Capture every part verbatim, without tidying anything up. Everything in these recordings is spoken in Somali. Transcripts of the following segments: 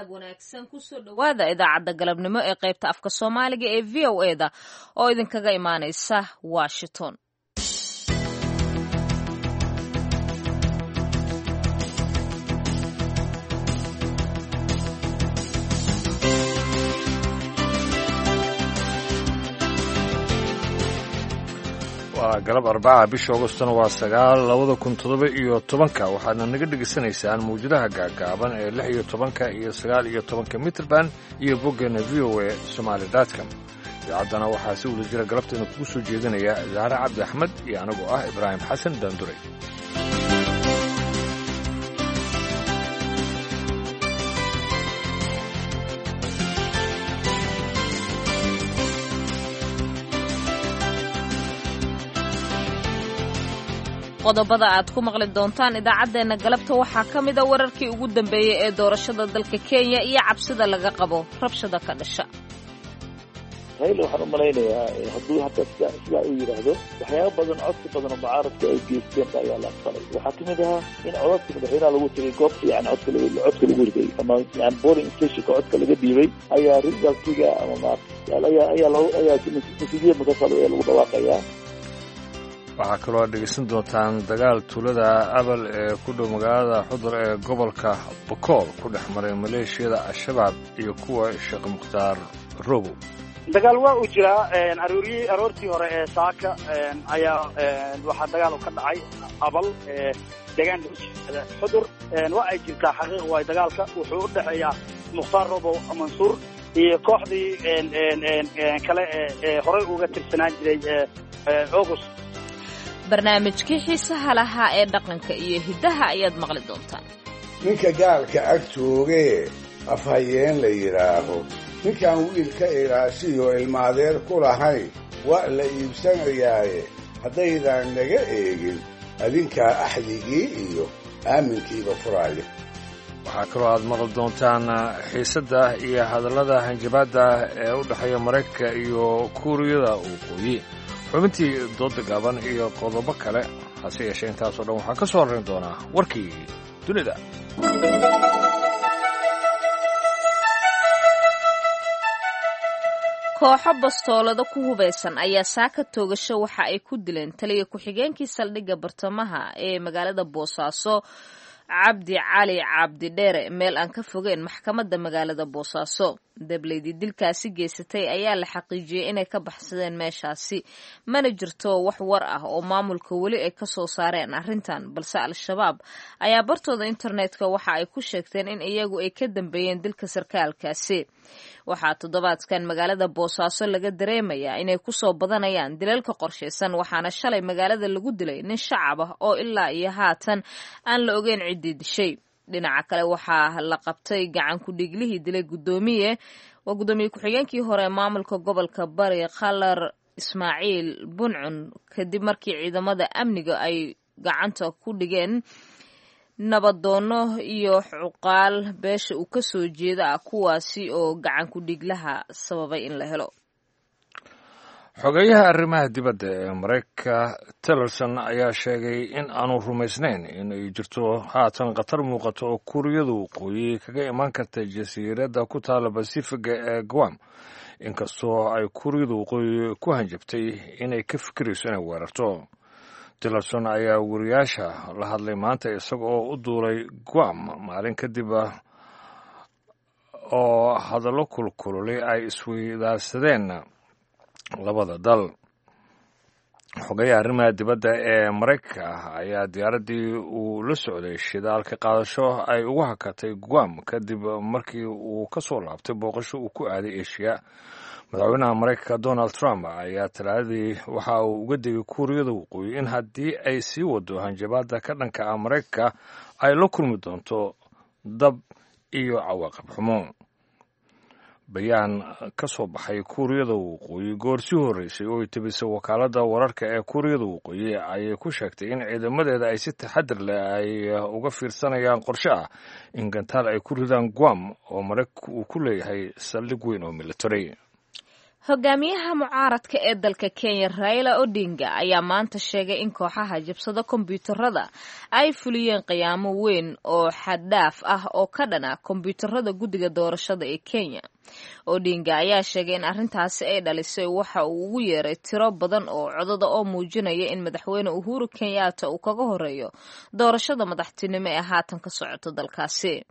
Galab wanaagsan, kusoo dhowaada idaacadda galabnimo ee qaybta afka Soomaaliga ee V O E da oo idinkaga imaanaysa Washington. Waa galab Arbaca, bisha Agostona waa sagaal labada kun todoba iyo tobanka. Waxaadna naga dhegaysanaysaan mawjadaha gaagaaban ee lix iyo tobanka iyo sagaal iyo tobanka mitrband iyo boggeena V O A Somaali dotcom. Idaacaddana waxaa si wada jira galabteena kugu soo jeedinaya Zahre Cabdi Axmed iyo anigoo ah Ibraahim Xasan Daanduray. Qodobada aad ku maqli doontaan idaacaddeenna galabta waxaa ka mida wararkii ugu dambeeyey ee doorashada dalka Kenya iyo cabsida laga qabo rabshada ka dhasha. Raila waxaan u malaynayaa hadduu hadda sida sidaa uu yidhaahdo, waxyaaba badan, codsi badan oo mucaaradka ay geysteen ayaa la aqbalay. Waxaa kamid ahaa in codadka madaxweynaha lagu tegay goobta, yani codka codka lagu riday ama yani polling stationka codka laga dhiibay ayaa resultiga ama ma ayaa ayaa ayaa natiijada markaas ayaa lagu dhawaaqayaa. Waxaa kaloo aad dhegaysan doontaan dagaal tuulada Abal ee ku dhow magaalada Xudur ee gobolka Bokool ku dhex maray maleeshiyada Al-Shabaab iyo kuwa Sheekh Mukhtaar Robow. Dagaal waa uu jiraa. Arooryi aroortii hore ee saaka ayaa waxaa dagaal ka dhacay Abal, deegaanka ujeeda Xudur. Waa ay jirtaa, xaqiiq waay. Dagaalka wuxuu u dhexeeyaa Mukhtaar Robow Mansuur iyo kooxdii kale ee horey uga tirsanaan jiray August. Barnaamijkii xiisaha lahaa ee dhaqanka iyo hiddaha ayaad maqli doontaan. Ninka gaalka ag joogee afhayeen la yidhaaho, ninkaan wiilka ilaashiyo ilmaadeer ku lahayn waa la iibsanayaaye, haddaydaan naga eegin adinkaa axdigii iyo aaminkiiba furaaya. Waxaa kaloo aad maqli doontaan xiisadda iyo hadallada hanjabaadda ee u dhexeeya Maraykanka iyo Kuuriyada Waqooyi, xubintii dooda gaaban iyo qodobo kale. Hase yeeshee intaasoo dhan waxaan ka soo horrayn doonaa warkii dunida. Kooxo bastoolado ku hubaysan ayaa saaka toogasho waxa ay ku dileen taliya ku-xigeenkii saldhigga bartamaha ee magaalada Boosaaso, Cabdi Cali Cabdi Dheere, meel aan ka fogeyn maxkamadda magaalada Boosaaso. Dableydii dilkaasi geysatay ayaa la xaqiijiyey inay ka baxsadeen meeshaasi. Mana jirto wax war ah oo maamulka weli ay ka soo saareen arrintan, balse Al-Shabaab ayaa bartooda internetka waxa ay ku sheegteen in iyagu ay ka dambeeyeen dilka sarkaalkaasi. Waxaa toddobaadkan magaalada Boosaaso laga dareemayaa inay kusoo badanayaan dilalka qorshaysan, waxaana shalay magaalada lagu dilay nin shacab ah oo ilaa iyo haatan aan la ogeyn ciddii dishay. Dhinaca kale, waxaa la qabtay gacan ku-dhiiglihii dilay guddoomiye waa guddoomiye ku-xigeenkii hore maamulka gobolka Bari, Khalar Ismaaciil Buncun, kadib markii ciidamada amniga ay gacanta ku dhigeen nabadoono iyo cuqaal beesha uu ka soo jeeda ah, kuwaasi oo gacan ku-dhiiglaha sababay in la helo. Xogeyaha arrimaha dibadda ee Maraykanka Tillerson ayaa sheegay in aanu rumaysnayn in ay jirto haatan khatar muuqato oo Kuuriyada Waqooyi kaga imaan karta jasiiradda ku taala Basifiga ee Guam, inkastoo ay Kuuriyada Waqooyi ku hanjabtay inay ka fikirayso inay weerarto. Tillerson ayaa wariyaasha la hadlay maanta isaga oo u duulay Guam maalin kadib oo hadallo kulkululay ay isweydaarsadeen labada dal. Xogayaha arrimaha dibadda ee Maraykanka ayaa diyaaraddii uu la socday shidaalka qaadasho ay ugu hakatay Guam kadib markii uu ka soo laabtay booqasho uu ku aaday Eshiya. Madaxweynaha Maraykanka Donald Trump ayaa Talaadadii waxa uu uga degay Kuuriyada Waqooyi in haddii ay sii wado hanjabaadda ka dhanka ah Maraykanka ay la kulmi doonto dab iyo cawaaqib xumo. Bayaan ka soo baxay Kuuriyada Waqooyi goor sii horreysay oo ay tebisay wakaaladda wararka ee Kuuriyada Waqooyi ayay ku sheegtay in ciidamadeeda ay si taxadir leh ay uga fiirsanayaan qorshe ah in gantaal ay ku ridaan Guam oo Maraykanku uu ku leeyahay saldhig weyn oo military. Hogaamiyaha mucaaradka ee dalka Kenya Raila Odinga ayaa maanta sheegay in kooxaha jabsada kombiyuutarada ay fuliyeen qiyaamo weyn oo xaddhaaf ah oo ka dhana kombiyuutarada guddiga doorashada ee Kenya. Odinga ayaa sheegay in arrintaasi ay dhalisay waxa uu ugu yeeray tiro badan oo codada oo muujinaya in madaxweyne Uhuru Kenyatta uu kaga horeeyo doorashada madaxtinimo ee haatan ka socota dalkaasi.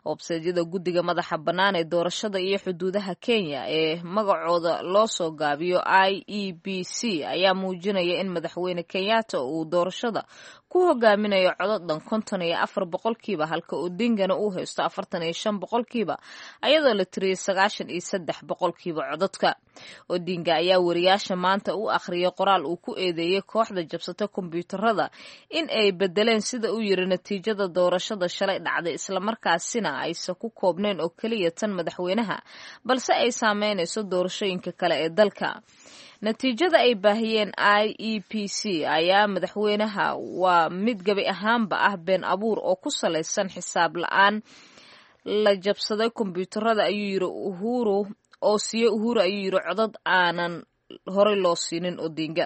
Websaydyada guddiga madaxa bannaan ee doorashada iyo xuduudaha Kenya ee magacooda loo soo gaabiyo I E B C ayaa muujinaya in madaxweyne Kenyatta uu doorashada ku hogaaminayo codod dhan konton iyo afar boqolkiiba, halka Odingana uu haysto afartan iyo shan boqolkiiba, ayadoo la tiriyay sagaashan iyo saddex boqolkiiba cododka. Odinga ayaa wariyaasha maanta u akhriyay qoraal uu ku eedeeyey kooxda jabsata kombiyuutarada in ay bedeleen sida uu yiri natiijada doorashada shalay dhacday, islamarkaasina aysan ku koobnayn oo keliya tan madaxweynaha, balse ay saameynayso doorashooyinka kale ee dalka. Natiijada ay baahiyeen I E B C ayaa madaxweynaha waa mid gabi ahaanba ah been abuur oo ku salaysan xisaab la'aan la jabsaday kombiyuutarada, ayuu yiri Uhuru, oo siiyey Uhuru ayuu yiri codad aanan horey loo siinin Odinga.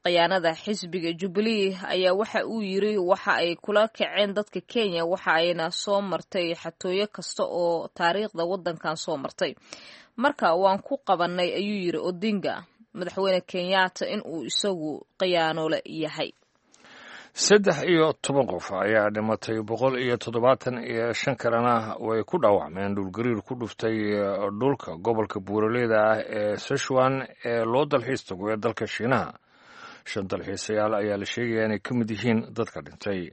Khiyaanada xisbiga Jubilee ayaa waxa uu yiri waxa ay kula kaceen dadka Kenya, waxa ayna soo martay xatooyo kasta oo taariikhda waddankan soo martay. Marka waan ku qabanay, ayuu yiri Odinga, madaxweyne Kenyatta in uu isagu khiyaanole yahay. Saddex iyo toban qof ayaa dhimatay, boqol iyo toddobaatan iyo shan kalena way ku dhaawacmeen dhulgariir ku dhuftay dhulka gobolka buuraleyda ah ee Sichuan ee loo dalxiis tago ee dalka Shiinaha. Shan dalxiisayaal ayaa la sheegaya inay ka mid yihiin dadka dhintay.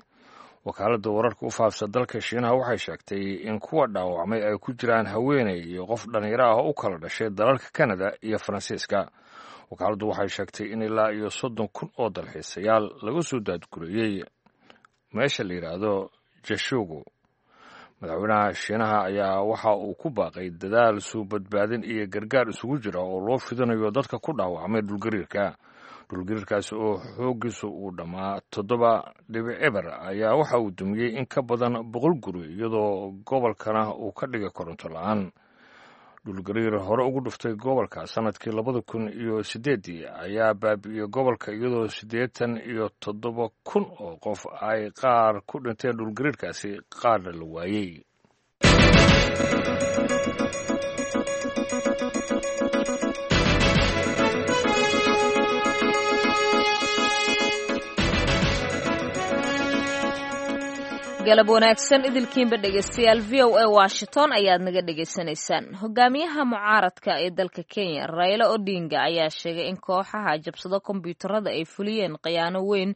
Wakaaladda wararka u faafsa dalka Shiinaha waxay sheegtay in kuwa dhaawacmay ay ku jiraan haweeney iyo qof dhallinyaro ah oo u kala dhashay dalalka Kanada iyo Faransiiska. Wakaaladdu waxay sheegtay in ilaa iyo soddon kun oo dalxiisayaal laga soo daadgureeyey meesha la yidhaahdo Jashugu. Madaxweynaha Shiinaha ayaa waxa uu ku baaqay dadaal suu badbaadin iyo gargaar isugu jira oo loo fidinayo dadka ku dhaawacmay dhulgariirka. Dhulgariirkaasi oo xooggiisu uu dhammaa toddoba dhibic eber ayaa waxa uu dumiyey in ka badan boqol guri, iyadoo gobolkana uu ka dhigay koronto la'aan. Dhulgariir hore ugu dhuftay gobolka sanadkii labada kun iyo siddeeddii ayaa baabi'iyey gobolka, iyadoo siddeetan iyo toddoba kun oo qof ay qaar ku dhinteen dhulgariirkaasi, qaarna la waayey. Galab wanaagsan idilkiinba dhegeystayaal, V O A Washington ayaad naga dhegeysanaysaan. Hogaamiyaha mucaaradka ee dalka Kenya Raila Odinga ayaa sheegay in kooxaha jabsada kombiyuutarada ay fuliyeen khiyaano weyn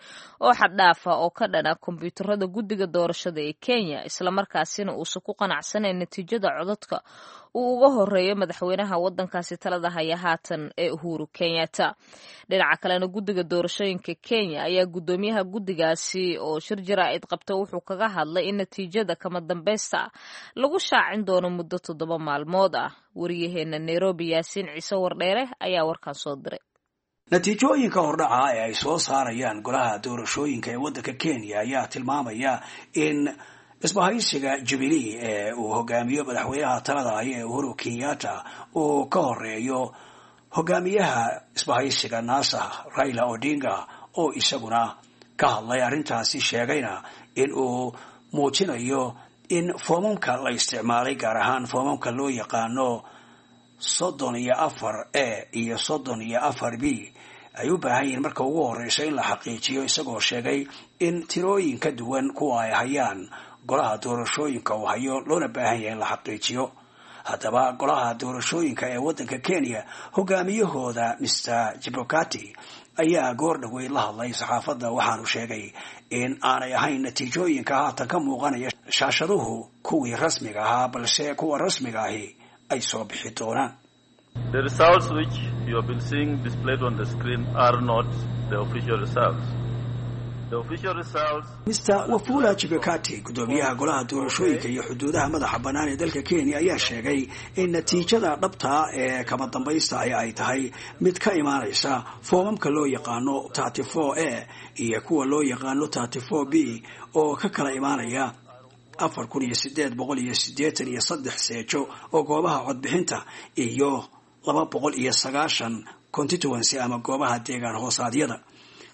oo xaddhaaf ah oo ka dhana kombiyuutarada guddiga doorashada ee Kenya, islamarkaasina uusan ku qanacsanayn natiijada codadka uu uga horeeyo madaxweynaha waddankaasi talada haya haatan ee Uhuru Kenyatta. Dhinaca kalena guddiga doorashooyinka Kenya ayaa guddoomiyaha guddigaasi oo shir jaraa'id qabta wuxuu kaga hadlay in natiijada kama dambaysta lagu shaacin doono muddo toddoba maalmood ah. Wariyaheena Nairobi Yaasiin Ciise Wardheere ayaa warkan soo diray. Natiijooyinka hordhaca ee ay soo saarayaan golaha doorashooyinka ee waddanka Kenya ayaa tilmaamaya in isbahaysiga Jubilee ee uu hogaamiyo madaxweynaha talada haya ee Uhuru Kenyatta uu ka horeeyo hogaamiyaha isbahaysiga NASA Raila Odinga, oo isaguna ka hadlay arrintaasi, sheegayna in uu muujinayo in foomamka la isticmaalay, gaar ahaan foomamka loo yaqaano soddon iyo afar A iyo soddon iyo afar B, ay u baahan yihiin marka ugu horeysa in la xaqiijiyo, isagoo sheegay in tirooyin ka duwan kuwa ay hayaan golaha doorashooyinka uu hayo loona baahan yahay in la xaqiijiyo. Haddaba golaha doorashooyinka ee waddanka Kenya hogaamiyahooda Mister Chebukati ayaa goor dhaweyd la hadlay saxaafadda, waxaanu sheegay in aanay ahayn natiijooyinka haatan ka muuqanaya shaashaduhu kuwii rasmiga ahaa, balse kuwa rasmiga ahi ay soo bixi doonaan. The results which you have been seeing displayed on the screen are not the official results. Mister Wafula Chebukati, guddoomiyaha golaha doorashooyinka iyo xuduudaha madaxa bannaan ee dalka Kenya, ayaa sheegay in natiijada dhabta ee kama dambaysta ahi ay tahay mid ka imaanaysa foomamka loo yaqaano thirty four A iyo kuwa loo yaqaano thirty four B oo ka kala imaanaya afar kun iyo sideed boqol iyo siddeetan iyo saddex seejo oo goobaha codbixinta iyo laba boqol iyo sagaashan constituency ama goobaha deegaan hoosaadyada,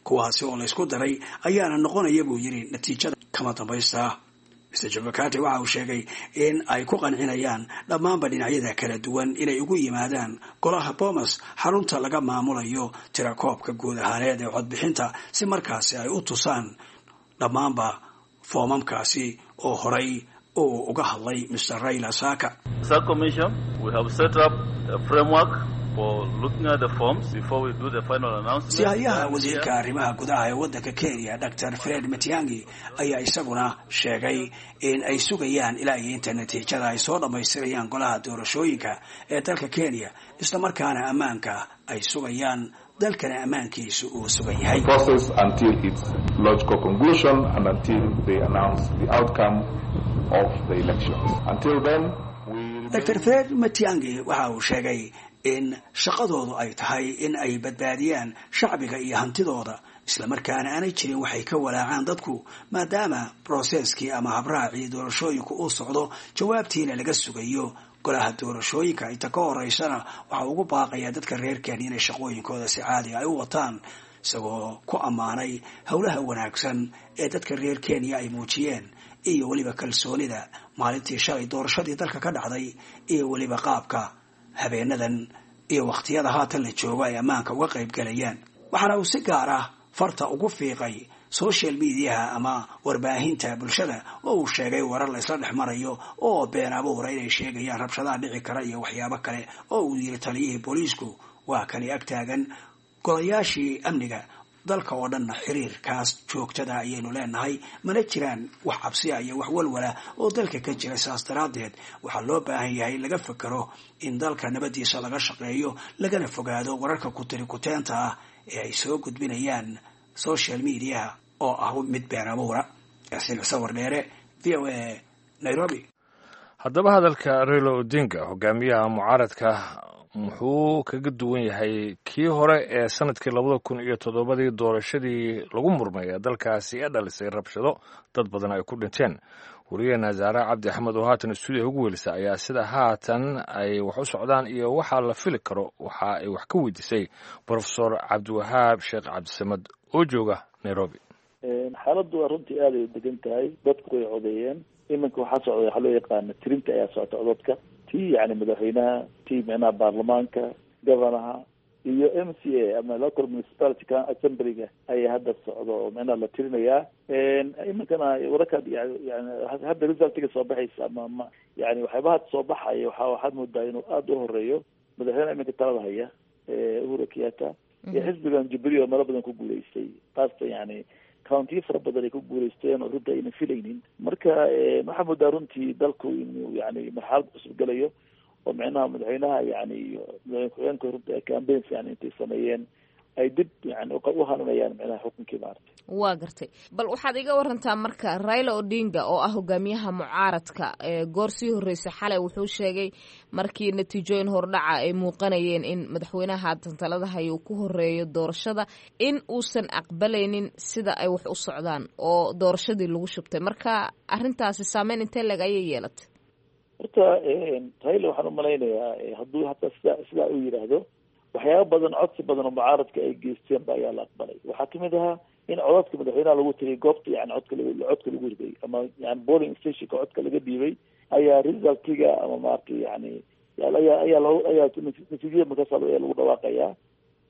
kuwaasi oo laysku daray ayaana noqonaya buu yidhi natiijada kama dambaysta. Mister Chebukati waxa uu sheegay in ay ku qancinayaan dhammaanba dhinacyada kala duwan inay ugu yimaadaan golaha Bomas, xarunta laga maamulayo tirakoobka guud ahaaneed ee codbixinta, si markaasi ay u tusaan dhammaanba foomamkaasi oo horay uu uga hadlay Mister Raila Saka. Sihayaha wasiirka arrimaha gudaha ee waddanka Kenya, Doctor Fred Matiangi, ayaa isaguna sheegay in ay sugayaan ilaa iyo inta natiijada ay soo dhammaystirayaan golaha doorashooyinka ee dalka Kenya, islamarkaana ammaanka ay sugayaan, dalkana ammaankiisu uu sugan yahay. Doctor Fred Matiangi waxa uu sheegay in shaqadoodu ay tahay in ay badbaadiyaan shacbiga iyo hantidooda, islamarkaana aanay jirin waxay ka walaacaan dadku, maadaama broseskii ama habraacii doorashooyinku uu socdo, jawaabtiina laga sugayo golaha doorashooyinka. Inta ka horeysana waxaa ugu baaqayaa dadka reer Kenya inay shaqooyinkooda si caadi ay u wataan, isagoo ku ammaanay howlaha wanaagsan ee dadka reer Kenya ay muujiyeen iyo weliba kalsoonida maalintii shalay doorashadii dalka ka dhacday, iyo weliba qaabka habeenadan iyo wakhtiyada haatan la joogo ay ammaanka uga qayb galayaan. Waxaana uu si gaar ah farta ugu fiiqay social mediaha ama warbaahinta bulshada, oo uu sheegay warar la isla dhex marayo oo been abuura inay sheegayaan rabshadaha dhici kara iyo waxyaabo kale, oo uu yiri taliyihii booliisku waa kani ag taagan golayaashii amniga dalka oo dhanna xiriirkaas joogtada ayaynu leenahay, mana jiraan wax cabsiya iyo wax walwala oo dalka ka jira. Saas daraaddeed waxaa loo baahan yahay laga fakero in dalka nabadiisa laga shaqeeyo, lagana fogaado wararka kutiri kuteenta ah ee ay soo gudbinayaan social mediaha oo ah mid been abuura. Yaasiin Sawir Dheere, V O A, Nairobi. Haddaba hadalka Raila Odinga, hogaamiyaha mucaaradka, muxuu kaga duwan yahay kii hore ee sanadkii labada kun iyo toddobadii doorashadii lagu murmay ee dalkaasi ee dhalisay rabshado dad badan ay ku dhinteen? Wariyaheena Zaare Cabdi Axmed oo haatan stuudiya ugu weelisa ayaa sida haatan ay wax u socdaan iyo waxaa la fili karo waxa ay wax ka weydiisay Profesor Cabdiwahaab Sheekh Cabdisamad oo jooga Nairobi. Xaaladdu waa runtii aad ay u degan tahay, dadku way codeeyeen. Iminka waxaa socda waxaa loo yaqaana tirinta ayaa socota cododka, tii yani madaxweynaha, tii micnaha baarlamaanka, governaha iyo M C A ama local municipality assemblyga ayaa hadda socda oo micnaha la tirinayaa. Iminkana wararka yani hadda resultiga soo baxaysa ama ma yani waxyaabaha soo baxaya waxa waxaad moodaa inuu aada u horeeyo madaxweynaha iminka talada haya Uhuru Kenyatta iyo xisbigan Jubilee oo meelo badan ku guuleystay, qaasatan yani countiyo fara badan ay ku guuleysteen oo runtii ayna filaynin. Marka waxaa moodaa runtii dalku inuu yani marxalad cusub galayo oo micnaha madaxweynaha yani iyo madaxweyne ku-xigeenka runtii ay campaigns yani intay sameeyeen ay dib yani u hananayaan micnaha xukunkii maaragtay. Waa gartay. Bal waxaad iga warantaa marka Raila Odinga oo ah hogaamiyaha mucaaradka, goor sii horreysay xalay wuxuu sheegay markii natiijooyin hordhaca ay muuqanayeen in madaxweynaha haatan talada haya uu ku horeeyo doorashada, in uusan aqbalaynin sida ay wax u socdaan oo doorashadii lagu shubtay. Marka arrintaasi saameyn intee leg ayay yeelatay? Horta Raila waxaan umalaynayaa hadduu hataa sida sidaa uu yidhaahdo, waxyaaba badan codsi badan oo mucaaradka ay geysteen ba ayaa la aqbalay. Waxaa kamid ahaa in codadka madaxweynaha lagu tiriyay goobta yani codka codka lagu riday ama yani polling stationka codka laga dhiibay ayaa resultiga ama maaragtay yani ayaa ayaa loo ayaa natiijada markaas ayaa lagu dhawaaqayaa.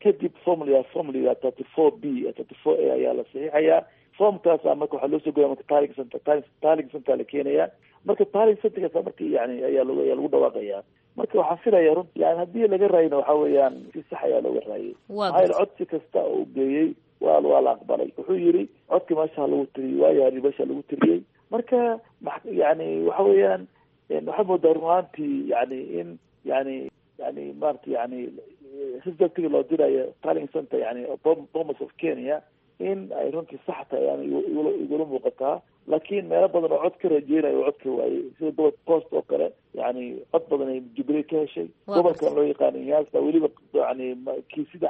Kadib formula formula thirty four B thirty four A ayaa la saxiixayaa. Formkaasa marka waxaa loo soo goya marka tallying center tallying center la keenayaa. Marka tallying centerkaasa marka yani ayaa lagu ayaa lagu dhawaaqayaa. Marka waxaan filaya runti yani haddii laga raayina waxa weeyaan si sax ayaa looga raayay. Maxaa yeele codsi kasta oo uu geeyey waa waa la aqbalay. Wuxuu yidhi codki meesha lagu tiriyey, waayo meesha lagu tiriyey. Marka yani waxa weeyaan waxaad moodaa run ahaantii yani in yani yani maarata yani resultiga loo dirayo tallying center yani Bomas of Kenya in ay runtii sax tahay yani igula muuqataa. Laakiin meelo badan oo cod ka rajeynayo oo cod ka waayey, sida gobolka Coast oo kale yani cod badan ay Jubilee ka heshay. Gobolkan loo yaqaano Nyanza weliba yani kiisida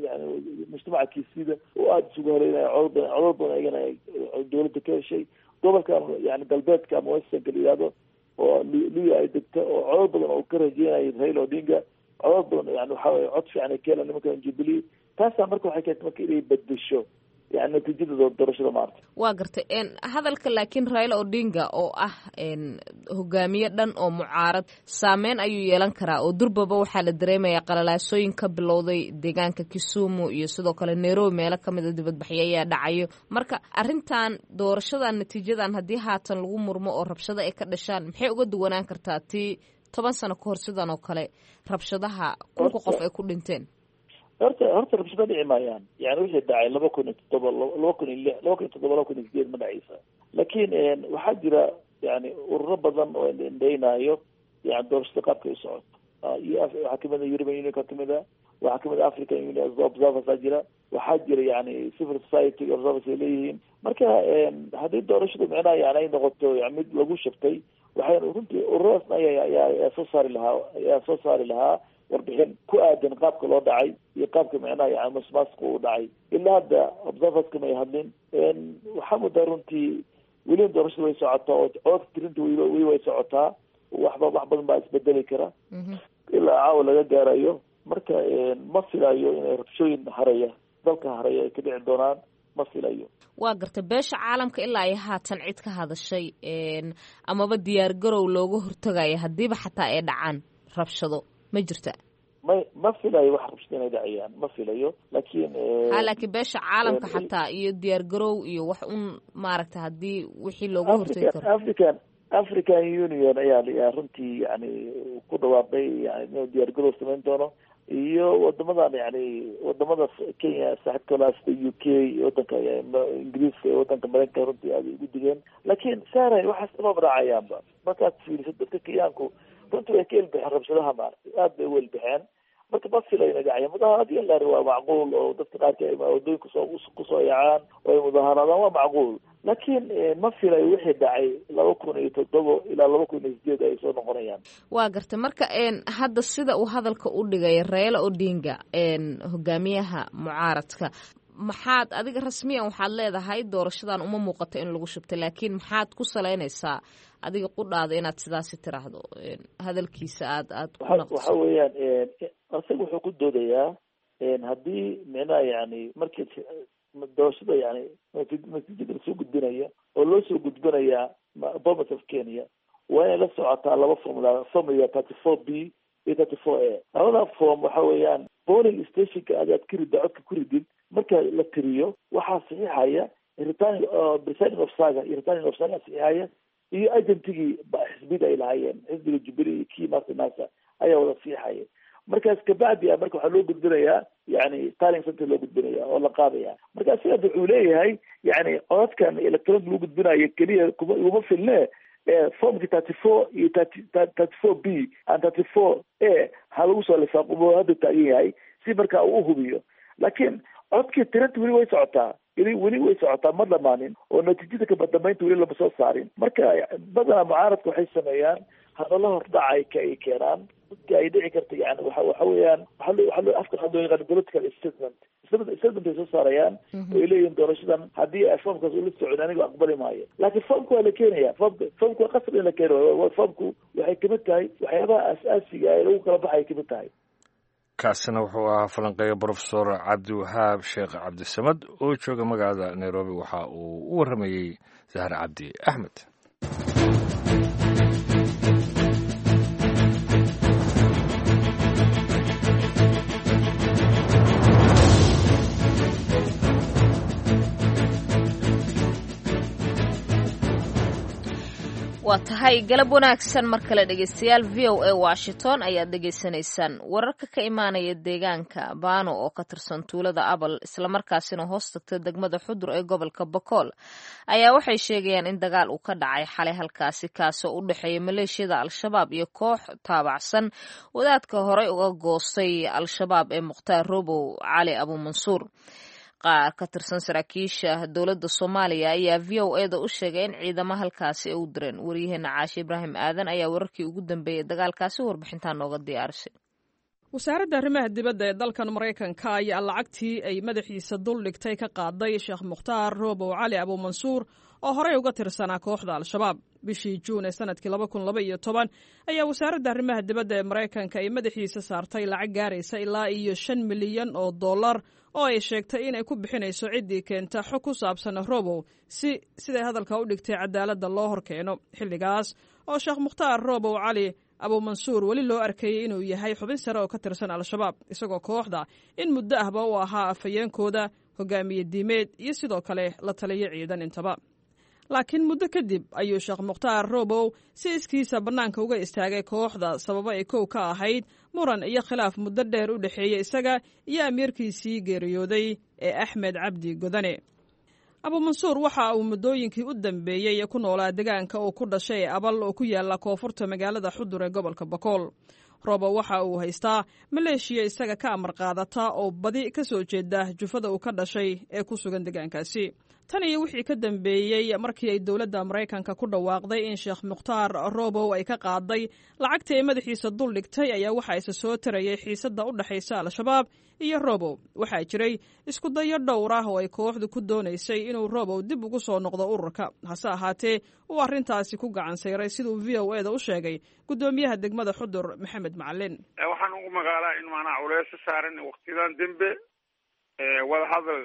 yani mujtamaca kiisida oo aada isugu haleynaya codod badan codod badan ayagana ay dowladda ka heshay. Gobolkan yani galbeedka ama westernka la yihahdo oo Luya ay degto oo codod badan oo ka rajeynayo Raila Odinga Codad badan yani waxa weye cod fiican ay ka helaan nimankan Jubilee. Taasaa marka waxay keentay marka inay bedesho yani natiijada doorashada maarta. Waa gartay hadalka, laakiin Raila Odinga oo ah hogaamiye dhan oo mucaarad saameyn ayuu yeelan karaa, oo durbaba waxaa la dareemayaa qalalaasooyin ka bilowday deegaanka Kisumu iyo sidoo kale Nairobi, meelo kamid a dibadbaxyo ayaa dhacayo. Marka arrintan doorashadan natiijadan haddii haatan lagu murmo oo rabshado ay ka dhashaan, maxay uga duwanaan kartaa tii toban sano kahor sidan oo kale rabshadaha kunka qof ay ku dhinteen? Horta horta rabshado dhici maayaan. Yani wixii dhacay laba kun iyo toddoba, laba kun iyo lix, laba kun iyo toddoba, laba kun iyo sideed ma dhacaysa. Laakiin waxaa jira yani ururo badan oo indhaynaayo yani doorashada qaabka u socoto. Waxaa kamid a European Union ka kamid a, waxaa kamid a African Union observers aa jira, waxaa jira yani civil society observers ay leeyihiin. Marka haddii doorashadu micnaha yani ay noqoto mid lagu shabtay, waxay runtii ururadaasna ayaa ayaa soo saari lahaa ayaa soo saari lahaa warbixin ku aadan qaabka loo dhacay iyo qaabka micnaha yani masmaasku uu dhacay. Ilaa hadda observerska may hadlin. Waxaa mudaa runtii weliba doorashada way socotaa oo codka tirinta weliba weli way socotaa. Waxba wax badan baa isbedeli kara ilaa caawa laga gaarayo. Marka ma filayo inay rabshooyin haraya dalka haraya ay ka dhici doonaan, ma filayo. Waa gartay. Beesha caalamka ilaa ay haatan cid ka hadashay amaba diyaar garow looga hortagayo haddiiba xataa ay dhacaan rabshado ma jirta? May, ma filayo wax rabshado inay dhacayaan, ma filayo, laakiin ha laakiin beesha caalamka xataa iyo diyaar garow iyo wax un maaragta haddii wixii looga hortagi karo. African African Union ayaa ayaa runtii yani ku dhawaaqay yani inuu diyaar garow samayn doono, iyo wadamadan yani wadamada Kenya saaxiibka la sida U K, wadanka Ingiriiska iyo wadanka Mareykanka runtii aad ugu digeen. Laakiin saaray waxaas uma raacayaanba. Markaad fiiriso dadka Kenyaanku runtii way ka elbixeen rabshadaha maaragtay, aad bay u elbixeen. Marka ma filayo inay dhacayaan mudaaharaad in la waa macquul oo dadka qaarka ay wadooyinka kusoo kusoo yaacaan oo ay mudaaharaadaan waa macquul, laakiin ma filayo wixii dhacay laba kun iyo toddoba ilaa laba kun iyo sideed ay soo noqonayaan. Waa gartay. Marka hadda sida uu hadalka u dhigay Raila Odinga, hogaamiyaha mucaaradka, maxaad adiga rasmiyan waxaad leedahay doorashadan uma muuqato in lagu shubtay, laakiin maxaad ku salaynaysaa adiga qudhaada inaad sidaasi tiraahdo hadalkiisa aad aad ku naqdiso? Waxa weeyaan isaga wuxuu ku doodayaa haddii micnaha yani markii doorashada yani natiijada lasoo gudbinaya oo loo soo gudbinaya Bomet of Kenya waa inay la socotaa laba formula, formula thirty four B iyo thirty four A. Labada form waxa weeyaan polling stationka aad aad ka ridda codka ku ridid, marka la tiriyo waxaa saxiixaya returning presiding officer iyo returning officer saxiixaya iyo agentigii xisbida ay lahaayeen, xisbiga Jubilee iyo kii master nasa ayaa wada saxiixaya. Markaas kabacdi marka waxaa loo gudbinayaa yani tallying center loo gudbinaya oo la qaadaya. Marka sidaas wuxuu leeyahay yani codadkan electronic lagu gudbinayo keliya kuma iguma filne, formki thirty four iyo thirty thirty four B and thirty four A ha lagu soo lifaaqo hadda taagan yahay si marka uu uhubiyo. Laakiin codkii tirinta weli way socotaa, weli weli way socotaa, ma dhamaanin oo natiijada kabadambeynta weli lama soo saarin. Marka badanaa mucaaradka waxay sameeyaan hadallo hordhaca ay ay keenaan dadka ay dhici karta yani waxa waxa weeyaan waxa loo waxa loo afka waxa loo yaqaan political statement statement statement ay soo saarayaan oo ay leeyihiin doorashadan haddii ay foomkaas ula socon anigu aqbali maayo. Laakiin foomku waa la keenaya, foomka foomku waa qasab in la keeno. Foomku waxay kamid tahay waxyaabaha asaasiga ee lagu kala baxay kamid tahay. Kaasina wuxuu ahaa falanqeeya Brofesor Cabdiwahaab Sheekh Cabdisamad oo jooga magaalada Nairobi. Waxa uu u warramayey Zahar Cabdi Axmed. Waa tahay, galab wanaagsan mar kale dhegeystayaal. V O A Washington ayaad dhegeysanaysaan. Wararka ka imaanaya deegaanka Baano oo ka tirsan tuulada Abal islamarkaasina hoos tagta degmada Xudur ee gobolka Bakool ayaa waxay sheegayaan in dagaal uu ka dhacay xalay halkaasi, kaasoo u dhexeeya maleeshiyada Al-Shabaab iyo koox taabacsan wadaadka horey uga goostay Al-Shabaab ee Mukhtaar Robow Cali Abuumansuur. Qaar ka tirsan saraakiisha dowladda Soomaaliya ayaa V O A da u sheegay in ciidamo halkaasi ay u direen. Waryaheena Caashe Ibraahim Aadan ayaa wararkii ugu dambeeyey dagaalkaasi warbixintaa nooga diyaarisay. Wasaaradda arrimaha dibadda ee dalkan Maraykanka ayaa lacagtii ay madaxiisa dul dhigtay ka qaaday Sheekh Mukhtaar Roobow Cali Abuumansuur oo horey uga tirsanaa kooxda Al-Shabaab. Bishii Juun ee sanadkii laba kun laba iyo toban ayaa wasaaradda arrimaha dibadda ee Maraykanka ay madaxiisa saartay lacag gaaraysa ilaa iyo shan milyan oo dollar oo ay sheegtay inay ku bixinayso ciddii keenta xog ku saabsan Robow si siday hadalka u dhigtay cadaaladda loo horkeeno, xilligaas oo Sheekh Mukhtaar Robow Cali Abuumansuur weli loo arkayey inuu yahay xubin sare oo ka tirsan Al-Shabaab, isagoo kooxda in muddo ahba u ahaa afhayeenkooda, hogaamiye diimeed iyo sidoo kale la taliyo ciidan intaba. Laakiin muddo kadib ayuu Sheekh Mukhtaar Robow si iskiisa bannaanka uga istaagay kooxda, sababo ay kow ka ahayd muran iyo khilaaf muddo dheer u dhexeeyey isaga iyo amiirkiisii geeriyooday ee Axmed Cabdi Godane. Abuumansuur waxa uu muddooyinkii u dambeeyey ku noolaa deegaanka uu ku dhashay ee Abal oo ku yaala koonfurta magaalada Xudur ee gobolka Bakool. Robow waxa uu haystaa maleeshiya isaga ka amar qaadata oo badi ka soo jeeda jufada uu ka dhashay ee ku sugan deegaankaasi. Tan iyo wixii ka dambeeyey markii ay dowladda Maraykanka ku dhawaaqday in Sheekh Mukhtaar Robow ay ka qaaday lacagtii ay madaxiisa dul dhigtay ayaa waxaa isa soo tarayay xiisadda u dhexaysa Al-Shabaab iyo Robow. Waxaa jiray isku dayo dhowr ah oo ay kooxdu ku doonaysay inuu Robow dib ugu soo noqdo ururka, hase ahaatee uu arrintaasi ku gacan sayray, siduu V O E da u sheegay guddoomiyaha degmada Xudur Maxamed Macalin. Waxaan ugu magaalaa in maanaa culeysa saaran waqtiyadan dembe wadahadal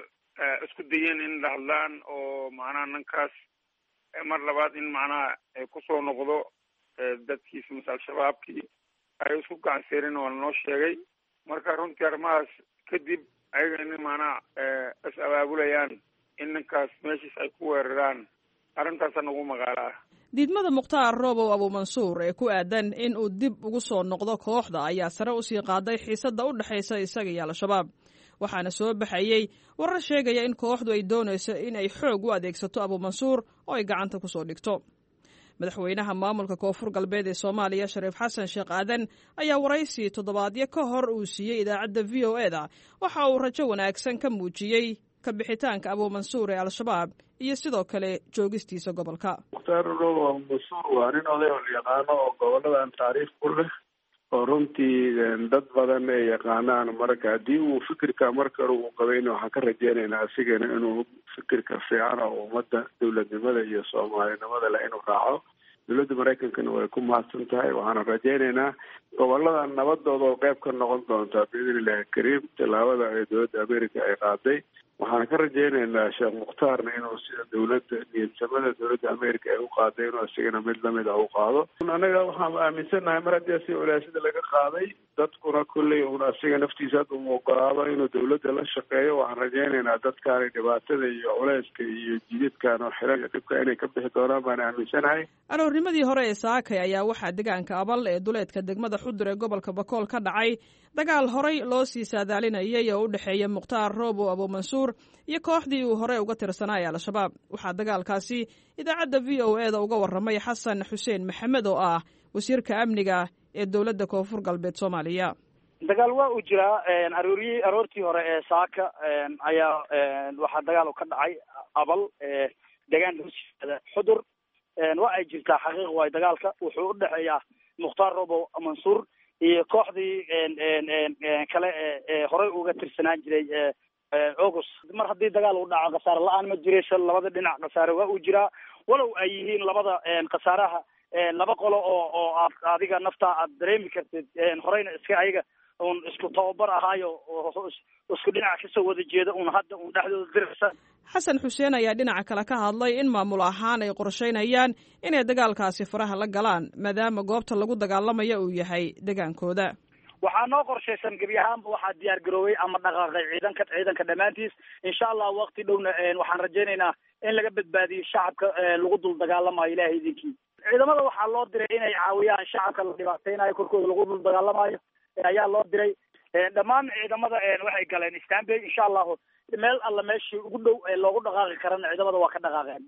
isku dayeen in la hadlaan oo macnaha ninkaas mar labaad in macnaha kusoo noqdo dadkiisa mase Al-Shabaabkii ay isku gacanseerin oo lanoo sheegay. Marka runtii arrimahaas kadib ayaga in macnaha is abaabulayaan in ninkaas meeshiis ay ku weeraraan, arrintaasa nagu magaalaa. Diidmada Mukhtaar Robow Abuumansuur ee ku aadan in uu dib ugu soo noqdo kooxda ayaa sare usii qaaday xiisadda u dhexaysa isaga iyo Al-Shabaab, waxaana soo baxayey warar sheegaya in kooxdu ay doonayso in ay xoog u adeegsato Abuumansuur oo ay gacanta ku soo dhigto. Madaxweynaha maamulka Koonfur Galbeed ee Soomaaliya Shariif Xasan Sheekh Aadan ayaa waraysi toddobaadyo ka hor uu siiyey idaacadda V O E da waxa uu rajo wanaagsan ka muujiyey ka bixitaanka Abuumansuur ee Al-Shabaab iyo sidoo kale joogistiisa gobolka. Mukhtaar Robow Abuumansuur waa nin oday oo la yaqaano oo goboladan taariikh ku leh oo runtii dad badan ay yaqaanaan. Marka haddii uu fikirka marka hore uu qabayna, waxaan ka rajeynaynaa asigana inuu fikirka fiican oo ummadda dowladnimada iyo soomaalinimada leh inuu raaco. Dowladda Maraykankana way ku mahadsan tahay, waxaana rajeynaynaa gobolada nabadooda oo qeyb ka noqon doonta biidni illahi kariim tallaabada ay dowladda America ay qaaday. Waxaan ka rajeynaynaa Sheekh Mukhtaarna inuu sida dowladda niyadsamada dowladda America ay u qaaday inuu isagana mid lamid ah u qaado. Anaga waxaan aaminsannahay mar haddii asiga culeysyada laga qaaday, dadkuna kolley uun asiga naftiisa hadda uu ogolaado inuu dowladda la shaqeeyo, waxaan rajeynaynaa dadkaani dhibaatada iyo culeyska iyo jididkan oo xiran iyo dhibka inay ka bixi doonaan baan aaminsanahay. Aroornimadii hore ee saakay ayaa waxaa deegaanka Abal ee duleedka degmada Xudur ee gobolka Bakool ka dhacay dagaal horay loo sii saadaalinayay oo u dhexeeya Mukhtaar Robow Abuumansuur iyo kooxdii uu horey uga tirsanaayay Al-Shabaab. Waxaa dagaalkaasi idaacadda V O E da uga warramay Xasan Xuseen Maxamed oo ah wasiirka amniga ee dowladda Koonfur Galbeed Soomaaliya. Dagaal waa uu jiraa. Arooriyii aroortii hore ee saaka ayaa waxaa dagaal ka dhacay Abal, deegaan hoosyimaada Xudur. Waa ay jirtaa xaqiiq waay, dagaalka wuxuu u dhexeeyaa Mukhtaar Robow Mansuur iyo kooxdii kale ee horey uga tirsanaan jiray August. Mar haddii dagaal uu dhaco khasaare la-aan ma jirayso, labada dhinac khasaare waa uu jiraa, walow ay yihiin labada khasaaraha laba qolo oo oo aad adiga naftaa aad dareemi kartid horeyna iska ayaga un isku tababar ahaayo isku dhinac kasoo wada jeeda un hadda un dhexdooda diraysa. Xasan Xuseen ayaa dhinaca kale ka hadlay in maamul ahaan ay qorsheynayaan inay dagaalkaasi faraha la galaan, maadaama goobta lagu dagaalamaya uu yahay degaankooda. Waxaa noo qorshaysan gebi ahaanba waxaa diyaar garoobay ama dhaqaaqay ciidanka ciidanka dhammaantiis. Insha Allah waqti dhowna waxaan rajaynaynaa in laga badbaadiyo shacabka lagu dul dagaalamayo ilahay idinkii. Ciidamada waxaa loo diray inay caawiyaan shacabka la dhibaateynayo korkooda lagu dul dagaalamayo ayaa loo diray. Dhammaan ciidamada waxay galeen Istanbul, insha allahu meel alla meeshii ugu dhow ee loogu dhaqaaqi karana ciidamada waa ka dhaqaaqeen.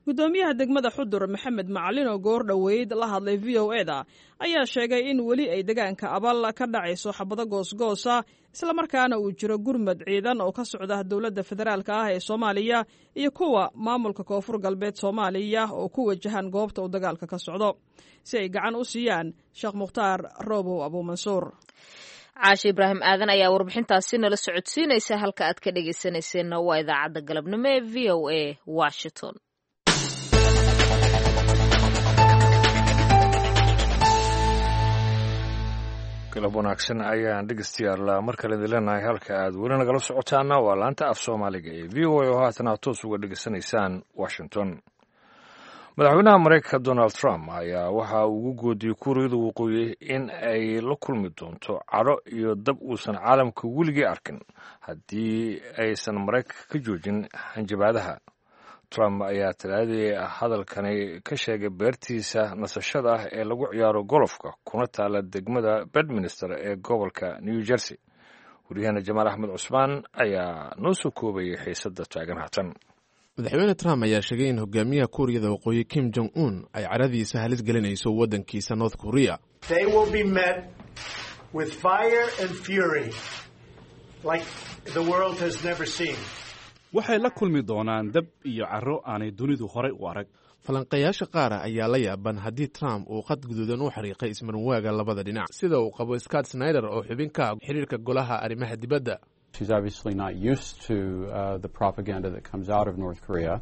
Guddoomiyaha degmada Xudur Maxamed Macalin oo goor dhoweyd la hadlay V O E da ayaa sheegay in weli ay deegaanka Abal ka dhacayso xabado goosgoosa, islamarkaana uu jiro gurmad ciidan oo ka socda dowladda federaalka ah ee Soomaaliya iyo kuwa maamulka Koonfur Galbeed Soomaaliya oo ku wajahan goobta uu dagaalka ka socdo si ay gacan u siiyaan Sheekh Mukhtaar Robow Abuumansuur. Caashe Ibraahim Aadan ayaa warbixintaasi nala socodsiinaysa. Halka aad ka dhegaysanayseena waa idaacadda galabnimo ee V O A Washington. Galab wanaagsan ayaan dhegeystayaal mar kale idin leenahay. Halka aad weli nagala socotaana waa laanta af Soomaaliga ee V O A oo haatan aad toos uga dhegeysanaysaan Washington. Madaxweynaha Maraykanka Donald Trump ayaa waxa uu ugu goodiyey Kuuriyada Waqooyi in ay la kulmi doonto cadho iyo dab uusan caalamka weligii arkin haddii aysan Maraykanka ka joojin hanjabaadaha. Trump ayaa Talaadii hadalkani ka sheegay beertiisa nasashada ah ee lagu ciyaaro golofka, kuna taala degmada Bedminster ee gobolka New Jersey. Waryaheena Jamaal Axmed Cusmaan ayaa noo soo koobayay xiisadda taagan haatan. Madaxweyne Trump ayaa sheegay in hogaamiyaha Kuuriyada Waqooyi Kim Jong Un ay caradiisa halis gelinayso waddankiisa North Korea. They will be met with fire and fury like the world has never seen. Waxay la kulmi doonaan dab iyo carro aanay dunidu horay u arag. Falanqayaasha qaara ayaa la yaaban haddii Trump uu qad guduudan u xariiqay ismarwaaga labada dhinac, sida uu qabo Scott Snyder oo xubin ka ah xiriirka golaha arrimaha dibadda. She's obviously not used to uh, the propaganda that comes out of North Korea.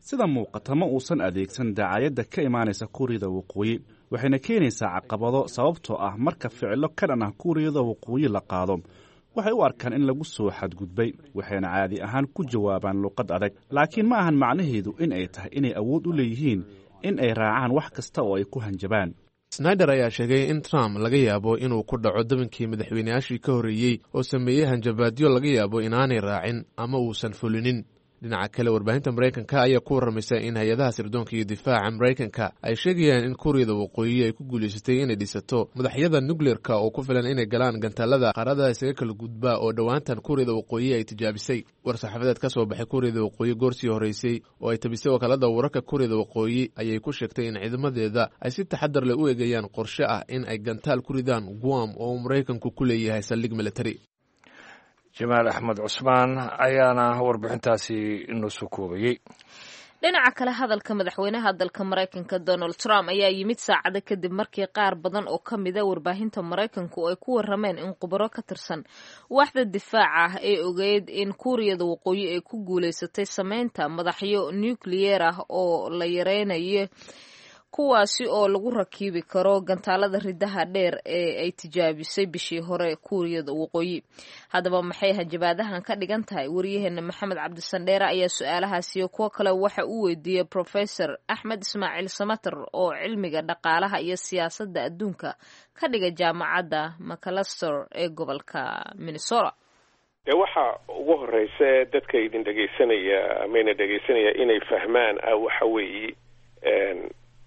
Sida muuqata, ma uusan adeegsan dacaayadda ka imaanaysa Kuuriyada Waqooyi, waxayna keenaysaa caqabado, sababtoo ah marka ficilo ka dhan ah Kuuriyada Waqooyi la qaado, waxay u arkaan in lagu soo xadgudbay, waxayna caadi ahaan ku jawaabaan luqad adag. Laakiin ma ahan macnaheedu in ay tahay inay awood u leeyihiin in ay raacaan wax kasta oo ay ku hanjabaan. Snyder ayaa sheegay in Trump laga yaabo inuu ku dhaco dabankii madaxweyneyaashii ka horreeyey oo sameeyey hanjabaadyo laga yaabo inaanay raacin ama uusan fulinin. Dhinaca kale, warbaahinta Maraykanka ayaa ku warramaysa in hay-adaha sirdoonka iyo difaaca Maraykanka ay sheegayaan in Kuuriyada Waqooyi ay ku guulaysatay inay dhisato madaxyada nukleerka oo ku filan inay galaan gantaalada qaaradaha isaga kala gudbaa oo dhowaantan Kuuriyada Waqooyi ay tijaabisay. War-saxaafadeed ka soo baxay Kuuriyada Waqooyi goorsii horreysay oo ay tabisay wakaalada wararka Kuuriyada Waqooyi ayay ku sheegtay in ciidamadeeda ay si taxadar leh u eegayaan qorshe ah in ay gantaal ku ridaan Guam oo uu Maraykanku ku leeyahay saldhig military. Jamaal Axmed Cusmaan ayaana warbixintaasi inoo soo koobayey. Dhinaca kale, hadalka madaxweynaha dalka Maraykanka Donald Trump ayaa yimid saacado kadib markii qaar badan oo ka mida warbaahinta Maraykanku ay ku warameen in khubaro ka tirsan waaxda difaaca ah ee ogeyd in Kuuriyada Waqooyi ay ku guulaysatay sameynta madaxyo nukliyeer ah oo la yareynayo, kuwaasi oo lagu rakiibi karo gantaalada ridaha dheer ee ay tijaabisay bishii hore Kuuriyada Waqooyi. Haddaba, maxay hanjabaadahan ka dhigan tahay? Wariyaheena Maxamed Cabdisandheere ayaa su-aalahaasi iyo kuwo kale waxa uu weydiiyey Professor Axmed Ismaaciil Samater oo cilmiga dhaqaalaha iyo siyaasadda adduunka ka dhiga Jaamacadda Macalester ee gobolka Minnesota. Dee, waxa ugu horeysa dadka idin dhegaysanaya amayna dhegaysanaya inay fahmaan ah waxa weeye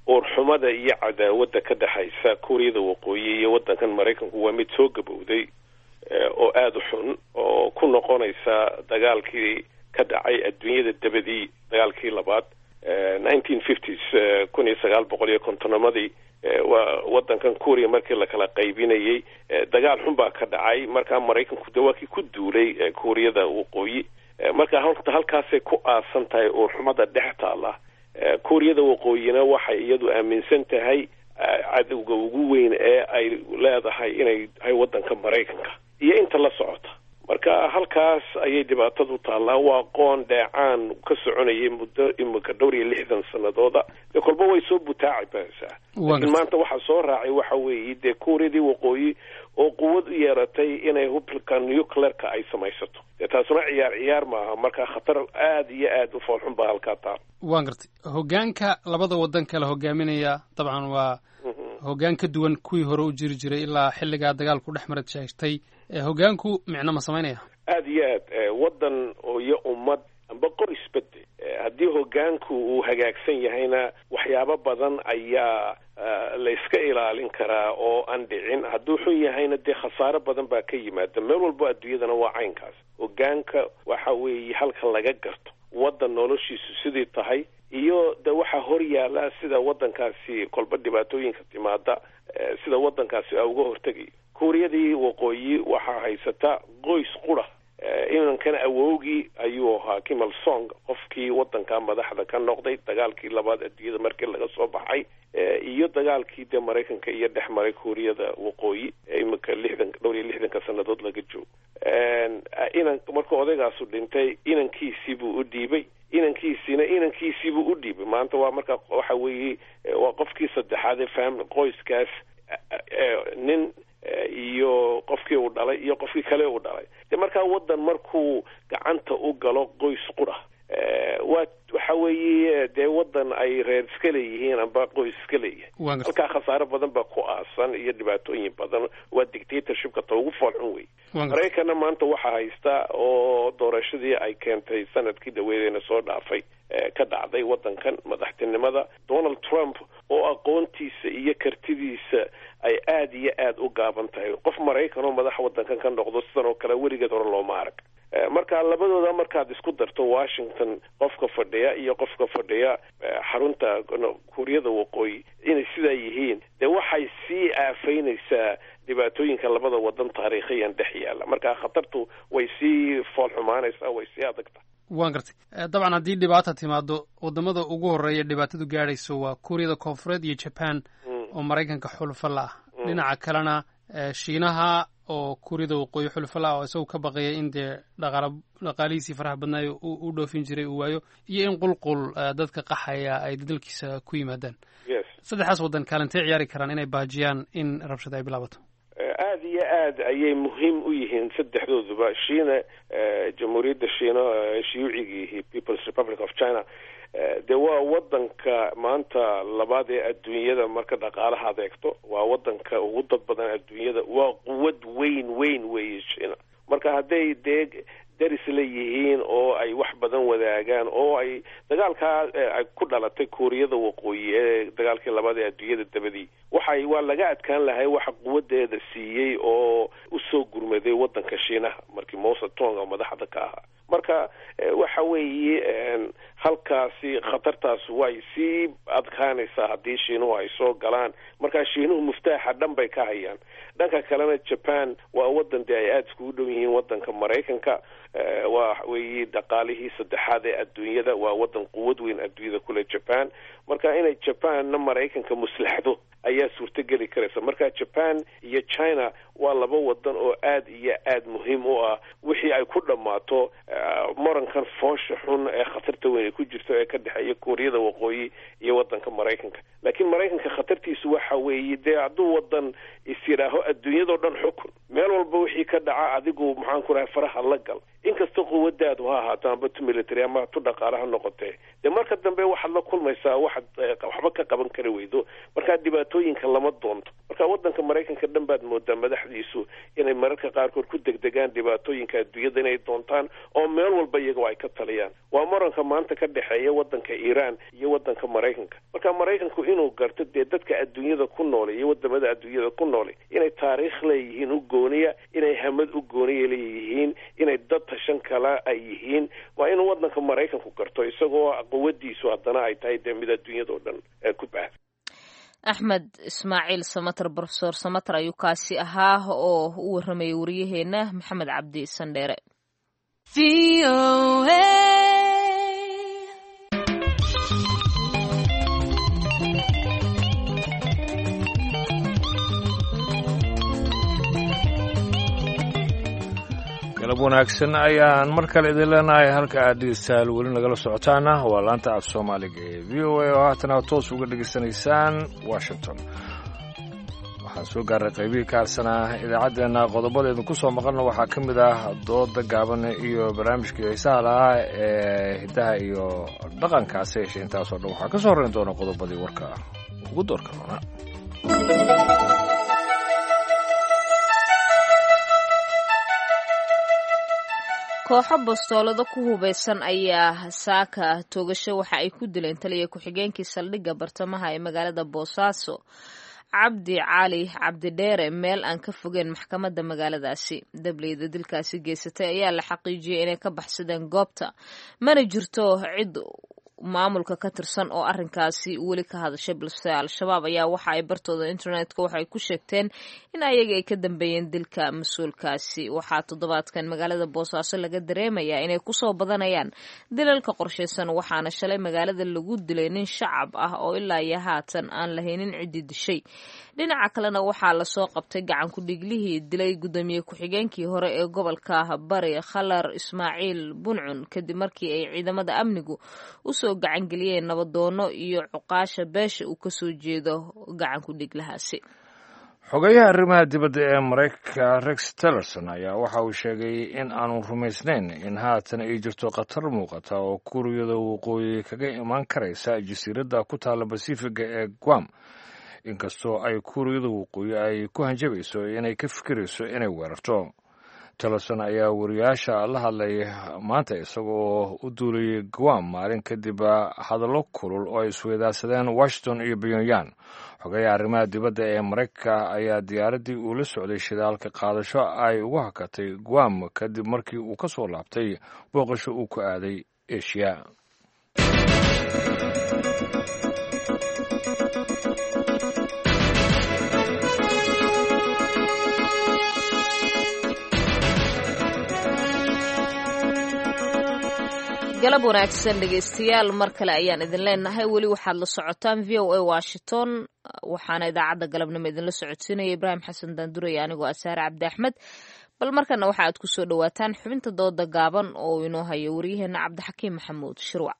uurxumada iyo cadaawadda ka dhexaysa Kuuriyada Waqooyi iyo waddankan Maraykanku waa mid soo gabowday oo aada u xun oo ku noqonaysa dagaalkii ka dhacay adduunyada dabadii dagaalkii labaad, nineteen fifties, kun iyo sagaal boqol iyo kontonamadii. Waa waddankan Kuuriya markii lakala qaybinayay dagaal xun baa ka dhacay. Markaa Maraykanku de waa kii ku duulay Kuuriyada Waqooyi. Marka horta halkaasay ku aasan tahay uurxumada dhex taala. Kuuriyada Waqooyina waxay iyadu aaminsan tahay cadowga ugu weyn ee ay leedahay inay tahay waddanka Maraykanka iyo inta la socota. Marka halkaas ayay dhibaatadu taallaa. Waa qoon dheecaan ka soconayay muddo imika dhowr iyo lixdan sanadooda. Dee kolba way soo butaaci baysaa, laakiin maanta waxaa soo raacay waxa weeye dee Kuuriyadii Waqooyi oo quwad u yeeratay inay hubka nuclearka ay samaysato. Dee taasuna ciyaar ciyaar maaha. Marka khatar aada iyo aada u foolxun baa halkaa taal. Waan gartay. Hoggaanka labada waddan kala hogaaminaya dabcan waa hoggaan ka duwan kuwii hore u jiri jiray ilaa xilligaa dagaalku dhex marad sheegtay. Hoggaanku micno ma samaynaya? Aada iyo aad. Waddan iyo ummad amba qoys bade haddii hoggaanku uu hagaagsan yahayna, waxyaabo badan ayaa la iska ilaalin karaa oo aan dhicin. Hadduu xun yahayna, dee khasaaro badan baa ka yimaada. Meel walbo adduunyadana waa caynkaas. Hoggaanka waxa weeye halka laga garto waddan noloshiisu sidii tahay iyo de waxaa hor yaala, sida waddankaasi kolba dhibaatooyinka timaada sida waddankaasi a uga hortegayo. Kuuriyadii Waqooyi waxaa haysata qoys qura. Inankana awowgii ayuu ahaa Kim Il Sung, qofkii waddanka madaxda ka noqday dagaalkii labaad adduunyada markii laga soo baxay iyo dagaalkii dee Maraykanka iyo dhex maray Kuuriyada Waqooyi imika lixdan dhowr iyo lixdanka sanadood laga joogo. Inan markuu odaygaasu dhintay, inankiisii buu u dhiibay, inankiisiina inankiisiibuu u dhiibay. Maanta waa marka waxa weeye waa qofkii saddexaad ee fam qoyskaas nin iyo qofkii uu dhalay iyo qofkii kale uu dhalay. De markaa waddan markuu gacanta u galo qoys qura, waa waxa weeye dee waddan ay reer iska leeyihiin amba qoys iska leeyihin, halkaa khasaaro badan baa ku aasan iyo dhibaatooyin badan. Waa dictatorshipka ta ugu foolxun wey. Maraykanna maanta waxaa haysta oo doorashadii ay keentay sanadkii dhaweedeena soo dhaafay ka dhacday waddankan madaxtinimada Donald Trump, oo aqoontiisa iyo kartidiisa ay aada iyo aada u gaaban tahay. Qof Maraykan oo madaxa waddankan ka noqdo sidan oo kale weligeed hore looma arag. Marka labadooda markaad isku darto, Washington qofka fadhiya iyo qofka fadhiya xarunta Kuuriyada Waqooyi, inay sidaa yihiin, dee waxay sii aafaynaysaa dhibaatooyinka labada wadan taariikhiyan dhex yaala. Marka khatartu way sii fool xumaanaysaa, way sii adagta. Waan gartay. Dabcan haddii dhibaata timaado, wadamada ugu horreeya dhibaatadu gaadhayso waa Kuuriyada Koonfureed iyo Jaban oo Maraykanka xulufo la ah. Dhinaca kalena Shiinaha oo Kuuriyada Waqooyi xulufo la ah, oo isagu ka baqaya in dee dhaqaala dhaqaalihiisii faraha badnaayo u dhoofin jiray uu waayo, iyo in qulqul dadka qaxaya ay dalkiisa ku yimaadaan. Saddexdaas waddan kaalintay ciyaari karaan inay baajiyaan in rabshada ay bilaabato? Aada iyo aad ayay muhiim u yihiin saddexdooduba. Shiina, Jamhuuriyadda Shiina Shiyuucigiihi, People's Republic of China, dee waa wadanka maanta labaad ee adduunyada marka dhaqaalaha adeegto, waa wadanka ugu dad badan adduunyada, waa quwad weyn weyn weeye Shiina. Marka hadday dee daris leeyihiin oo ay wax badan wadaagaan oo ay dagaalkaa ay ku dhalatay Kuuriyada Waqooyi ee dagaalkii labaad ee adduunyada dabadii, waxay waa laga adkaan lahay. Waxa quwadeeda siiyey oo usoo gurmaday wadanka Shiinaha markii Mao Zedong oo madaxda ka ahaa. Marka waxa weeye halkaasi khatartaas way sii adkaanaysaa haddii Shiinuhu ay soo galaan. Marka Shiinuhu muftaaxa dhan bay ka hayaan. Dhanka kalena Japan waa wadan dee ay aada iskugu dhow yihiin wadanka Maraykanka, waa weeye dhaqaalihii saddexaad ee adduunyada, waa wadan quwad weyn adduunyada kule Japan. Marka inay Japanna Maraykanka muslaxdo ayaa suurtogeli karaysa. Marka Japan iyo China waa laba wadan oo aada iyo aada muhiim u ah wixii ay ku dhammaato morankan foosha xun ee khatarta weyn ay ku jirto ee ka dhexeeya Kuuriyada Waqooyi iyo wadanka Maraykanka. Laakiin Maraykanka khatartiisu waxa weeye dee hadduu wadan is yidhaaho adduunyadao dhan xukun, meel walba wixii ka dhaca adigu maxaan ku rahay faraha la gal, inkastoo quwadaadu ha ahaato amba tu military ama tu dhaqaale ha noqotee, dee marka dambe waxaad la kulmaysaa waxaad waxba ka qaban kari weydo. Markaa dhibaatooyinka lama doonto. Marka wadanka Maraykanka dhan baad moodaa madaxdiisu inay mararka qaarkood ku degdegaan dhibaatooyinka adduunyada inay doontaan oo meel walba iyagoo ay ka taliyaan. Waa muranka maanta ka dhexeeya wadanka Iiraan iyo wadanka Maraykanka. Marka Maraykanku inuu garto dee dadka adduunyada ku noole iyo wadamada adduunyada ku noole inay taariikh leeyihiin u gooniya, inay hamad u gooniya leeyihiin, inay dad tashan kala ay yihiin, waa inuu wadanka Maraykanku garto, isagoo quwadiisu haddana ay tahay dee mid adduunyada oo dhan ku baahda. Axmed Ismaaciil Samater, Brofesor Samater ayuu kaasi ahaa oo u warramayay wariyaheenna Maxamed Cabdi Sandheere. Galab wanaagsan ayaan mar kale idin leenahay. Halka aad dhegeystayaal weli nagala socotaana waa laanta af Soomaaliga ee V O A oo haatan aad toos uga dhegeysanaysaan Washington. Waxaan soo gaaray qaybihii ka harsanaa idaacaddeenna. Qodobada idinku soo maqalna waxaa ka mid ah dooda gaaban iyo barnaamijkii xiisaha lahaa ee hiddaha iyo dhaqankaasi. Heshe intaasoo dhan waxaa ka soo horreyn doona qodobadii warka ugu doorka roona. Kooxo bastoolado ku hubeysan ayaa saaka toogasho waxa ay ku dileen taliya ku-xigeenkii saldhigga bartamaha ee magaalada Boosaaso, Cabdi Cali Cabdidheere, meel aan ka fogeyn maxkamadda magaaladaasi. Dableyda dilkaasi geysatay ayaa la xaqiijiyey inay ka baxsadeen goobta, mana jirto cid maamulka ka tirsan oo arrinkaasi weli ka hadashay, balse Al-Shabaab ayaa waxa ay bartooda internetka waxay ku sheegteen in ayaga ay ka dambeeyeen dilka mas-uulkaasi. Waxaa toddobaadkan magaalada Boosaaso laga dareemayaa inay kusoo badanayaan dilalka qorshaysan, waxaana shalay magaalada lagu dilay nin shacab ah oo ilaa iyo haatan aan lahaynin ciddii dishay. Dhinaca kalena waxaa lasoo qabtay gacan ku-dhiiglihii dilay guddoomiye ku-xigeenkii hore ee gobolka Bari, Khalar Ismaaciil Buncun, kadib markii ay ciidamada amnigu usoo gacangeliyeen nabadoono iyo cuqaasha beesha uu kasoo jeedo gacan ku-dhiiglahaasi. Xogayaha arrimaha dibadda ee Maraykanka Rex Tillerson ayaa waxa uu sheegay in aanu rumaysnayn in haatan ay jirto khatar muuqata oo Kuuriyada Waqooyi kaga imaan karaysa jasiiradda ku taalla Basifiga ee Guam, inkastoo ay Kuuriyada Waqooyi ay ku hanjabayso inay ka fikirayso inay weerarto. Tillerson ayaa wariyaasha la hadlay maanta isagoo u duulayay Guam maalin kadib hadallo kulul oo ay isweydaarsadeen Washington iyo Pyongyang. Xogayaha arrimaha dibadda ee Maraykanka ayaa diyaaraddii uu la socday shidaalka qaadasho ay ugu hakatay Guam kadib markii uu ka soo laabtay booqasho uu ku aaday Asia. Galab wanaagsan dhegeystayaal, mar kale ayaan idin leenahay. Weli waxaad la socotaan V O A Washington, waxaana idaacadda galabnimo idinla socodsiinaya Ibraahim Xasan Daanduray, anigoo Asaare Cabdi Axmed. Bal markana waxa aad kusoo dhawaataan xubinta dooda gaaban oo inoo hayo waryaheena Cabdixakiim Maxamuud Shirwac.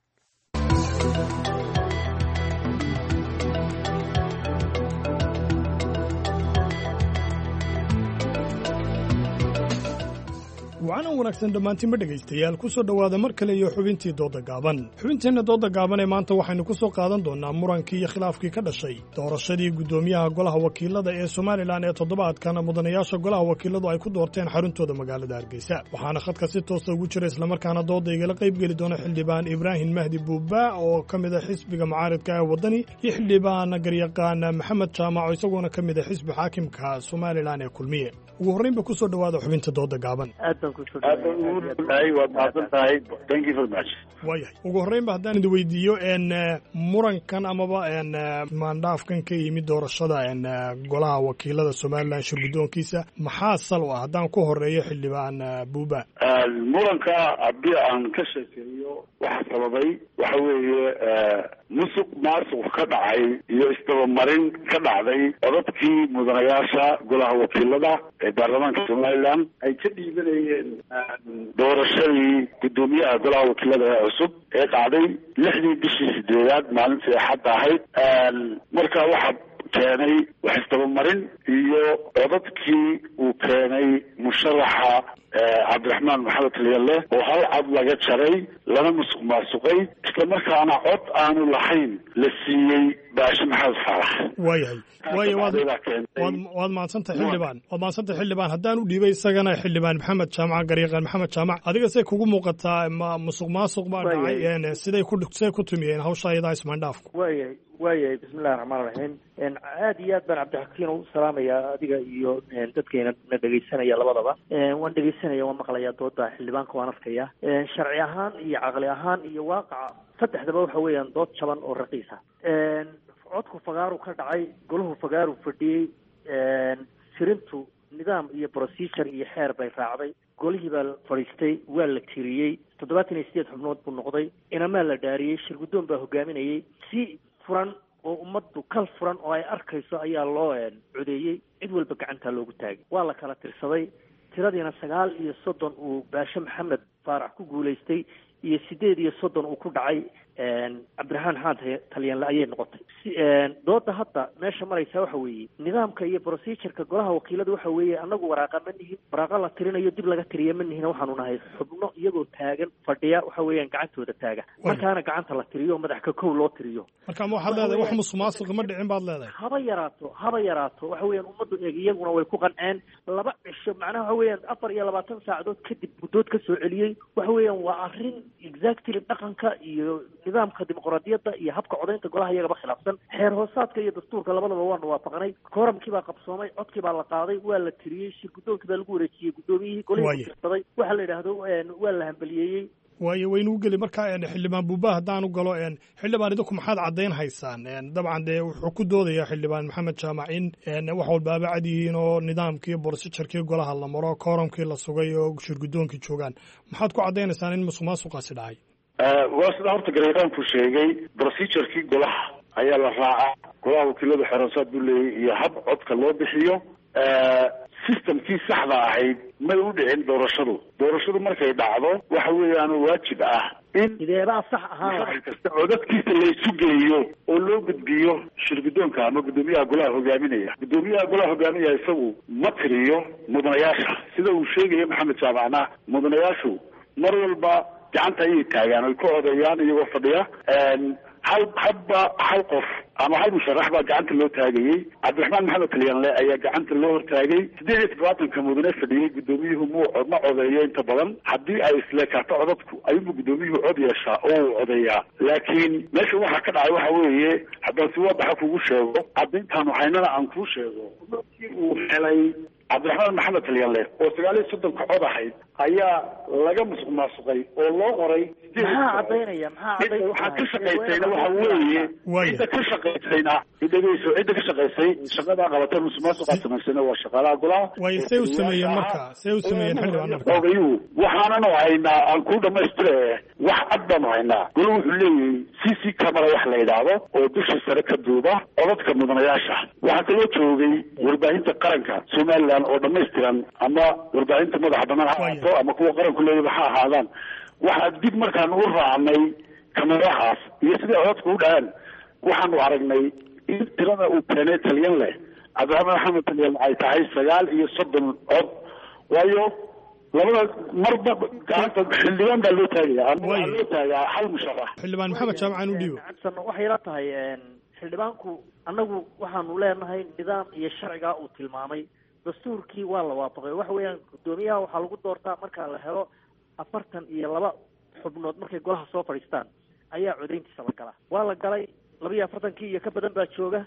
Wacanan wanaagsan dhammaantiinba dhegaystayaal, ku soo dhowaada mar kale iyo xubintii dooda gaaban. Xubinteenna dooda gaaban ee maanta waxaynu ku soo qaadan doonnaa murankii iyo khilaafkii ka dhashay doorashadii guddoomiyaha golaha wakiilada ee Somalilan ee toddobaadkan mudanayaasha golaha wakiiladu ay ku doorteen xaruntooda magaalada Hargeysa. Waxaana khadka si toosa ugu jira islamarkaana dooda igala qaybgeli doona xildhibaan Ibraahim Mahdi Buuba oo ka mid a xisbiga mucaaridka ee Waddani, iyo xildhibaan garyaqaan Maxamed Jaamac oo isagoona ka mid a xisbi xaakimka Somalilan ee Kulmiye. Ugu horreynba kusoo dhowaada xubinta dooda gaaban. Waayahay, ugu horreynba haddaan idin weydiiyo n murankan amaba n maandhaafkan ka yimid doorashada n golaha wakiilada Somalilan shirguddoonkiisa maxaa sal u ah? Haddaan ku horeeyo xildhibaan Buuba. Muranka haddii aan ka sheekeeyo, waxa sababay waxa weeye musuq maasuq ka dhacay iyo isdabamarin ka dhacday codadkii mudanayaasha golaha wakiilada ee baarlamaanka Somalilan ay ka dhiibanayeen doorashadii guddoomiyaha golaha wakiilada ee cusub ee dhacday lixdii bishii sideedaad maalintii axadda ahayd. Marka waxaa keenay wax isdabamarin iyo codadkii uu keenay musharaxa Cabdiraxmaan Maxamed Talyalle oo hal cod laga jaray lana musuq maasuqay, islamarkaana cod aanu lahayn la siiyey Baashe Maxamed Faarax. Waayahay, waaya, waad waad waad mahadsantahay xildhibaan, waad mahadsantahay xildhibaan. Haddaan u dhiibay isagana xildhibaan Maxamed Jaamac, garyaqaan Maxamed Jaamac, adiga say kugu muuqataa ma musuq maasuq baa dhacay? Siday ku siday ku tumiyeen hawsha iyadaa ismaandhaafku? Waayahay, waayahay, bismillahi raxmaan raxiim. Aad iyo aad baan Cabdixakiin u salaamayaa adiga iyo dadkayna na dhegaysanaya labadaba. Waan dhegaysanaya, waan maqlayaa dooda xildhibaanka, waan arkaya. Sharci ahaan iyo caqli ahaan iyo waaqaca saddexdaba waxa weeyaan dood jaban oo raqiisa. Codku fagaaru ka dhacay, golahu fagaaru fadhiyey, tirintu nidaam iyo procedure iyo xeer bay raacday. Golihii baa fadhiistay, waa la tiriyey, toddobaatan iyo sideed xubnood buu noqday, inamaa la dhaariyey, shir guddoon baa hogaaminayey. Si furan oo ummaddu kal furan oo ay arkayso ayaa loo codeeyey, cid walba gacantaa loogu taagay, waa la kala tirsaday. Tiradiina sagaal iyo soddon uu Baashe Maxamed Faarax ku guulaystay iyo sideed iyo soddon uu ku dhacay Cabdiraxmaan Xaan Talyanle ayay noqotay. Dooda hadda meesha maraysaa waxa weeye nidaamka iyo procedureka golaha wakiilada. Waxa weeye annagu waraaqa ma nihin, waraaqa la tirinayo dib laga tiriya ma nihin. Waxaanu nahay xubno iyagoo taagan fadhiya, waxa weeyaan gacantooda taaga, markaana gacanta la tiriyo, madax ka kow loo tiriyo. Marka ma waxaad leedahay wax musuq maasuq ma dhicin baad leedahay? Haba yaraato, haba yaraato. Waxa weeyaan ummaddu eeg iyaguna way ku qanceen. Laba cisho, macnaha waxa weeyaan afar iyo labaatan saacadood kadib guddood ka soo celiyey. Waxa weeyaan waa arrin exactly dhaqanka iyo nidaamka dimuqraadiyadda iyo habka codaynta golaha iyagaba khilaafsan. Xeer hoosaadka iyo dastuurka labadaba waanu waafaqnay. Kooramkii baa qabsoomay, codkii baa la qaaday, waa la tiriyey, shir guddoonkii baa lagu wareejiyey guddoomiyihii golihii kutirsaday, waxa la yidhaahdo waa la hambaliyeeyey. Waayo, waynu u geli marka xildhibaan Buuba. Haddaan u galo xildhibaan, idinku maxaad caddayn haysaan? Dabcan dee wuxuu ku doodayaa xildhibaan Maxamed Jaamac in wax walbaaba cad yihiin oo nidaamkii borsijarkii golaha la maro, kooramkii la sugay oo shir guddoonkii joogaan. Maxaad ku caddaynaysaan in musuq maasuqaasi dhacay? Waa sida horta garyaqaanku sheegay, procedurekii golaha ayaa la raacaa. Golaha wakiiladu xeeroosaad buu leeyay iyo hab codka loo bixiyo. Systemkii saxda ahayd may u dhicin doorashadu. Doorashadu markay dhacdo waxa weeyaan waajib ah In sideebaa sax ahaan kasta codadkiisa laysu geeyo oo loo gudbiyo shirgudoonka ama guddoomiyaha golaha hogaaminaya. Guddoomiyaha golaha hogaaminaya isagu ma tiriyo mudanayaasha, sida uu sheegayo Maxamed Jaamacna. Mudanayaashu mar walba gacanta ayay taagaan oy ka codeeyaan iyagoo fadhiya. Hal hadba hal qof ama hal musharax baa gacanta loo taagayey. Cabdiraxmaan Maxamed Talyanle ayaa gacanta loo hortaagay. Sideed iyo todobaatanka mudane fadhiyey guddoomiyuhu muu ma codeeyo inta badan. Haddii ay isleekaato codadku ayuunbu guddoomiyuhu cod yeeshaa oo uu codeeyaa. Laakiin meesha waxaa ka dhacay waxa weeye, haddaan si waadaxa kugu sheego, caddayntaanu haynana aan kuu sheego, markii uu helay Cabdiraxmaan Maxamed Talyanle oo sagaal iyo soddonka cod ahayd ayaa laga musuq maasuqay oo loo qoray. Maxaa cadaynaya? Maxaa cadayn? Waxaa ka shaqaysayna waxa weeye, cidda ka shaqaysayna, idhegeyso, cidda ka shaqaysay shaqadaa qabata musuq maasuqaa samaysayna waa shaqaalaha golaha. Way say u sameeyeen marka, say u sameeyeen xildhibaan marka Ogayuu waxaananu haynaa aan ku dhamaystire, wax cad baanu haynaa. Golo wuxuu leeyahay C C camera wax la yidhaahdo oo dusha sare ka duuba codadka mudanayaasha. Waxaa kaloo joogay warbaahinta qaranka Somaliland oo dhamaystiran, ama warbaahinta madaxa banaan ha ahaato ama kuwa qaranku leeyaba ha ahaadaan. Waxaa dib markaan u raacnay kamerahaas iyo siday codadku u dhaceen, waxaanu aragnay in tirada uu keenay Talyan leh, Cabdiraxmaan Maxamed Talyan, ay tahay sagaal iyo soddon cod. Waayo labada marba gacanta xildhibaan baa loo taagaya ama waxaa loo taagaa hal musharax. Xildhibaan Maxamed Jaamac u dhiibo. Waxay ila tahay xildhibaanku, annagu waxaanu leenahay nidaam iyo sharcigaa uu tilmaamay dastuurkii waa la waafaqay. Waxa weeyaan guddoomiyaha waxaa lagu doortaa marka la helo afartan iyo laba xubnood markay golaha soo fadhiistaan ayaa codayntiisa la galaa. Waa la galay, laba iyo afartankii iyo ka badan baa jooga,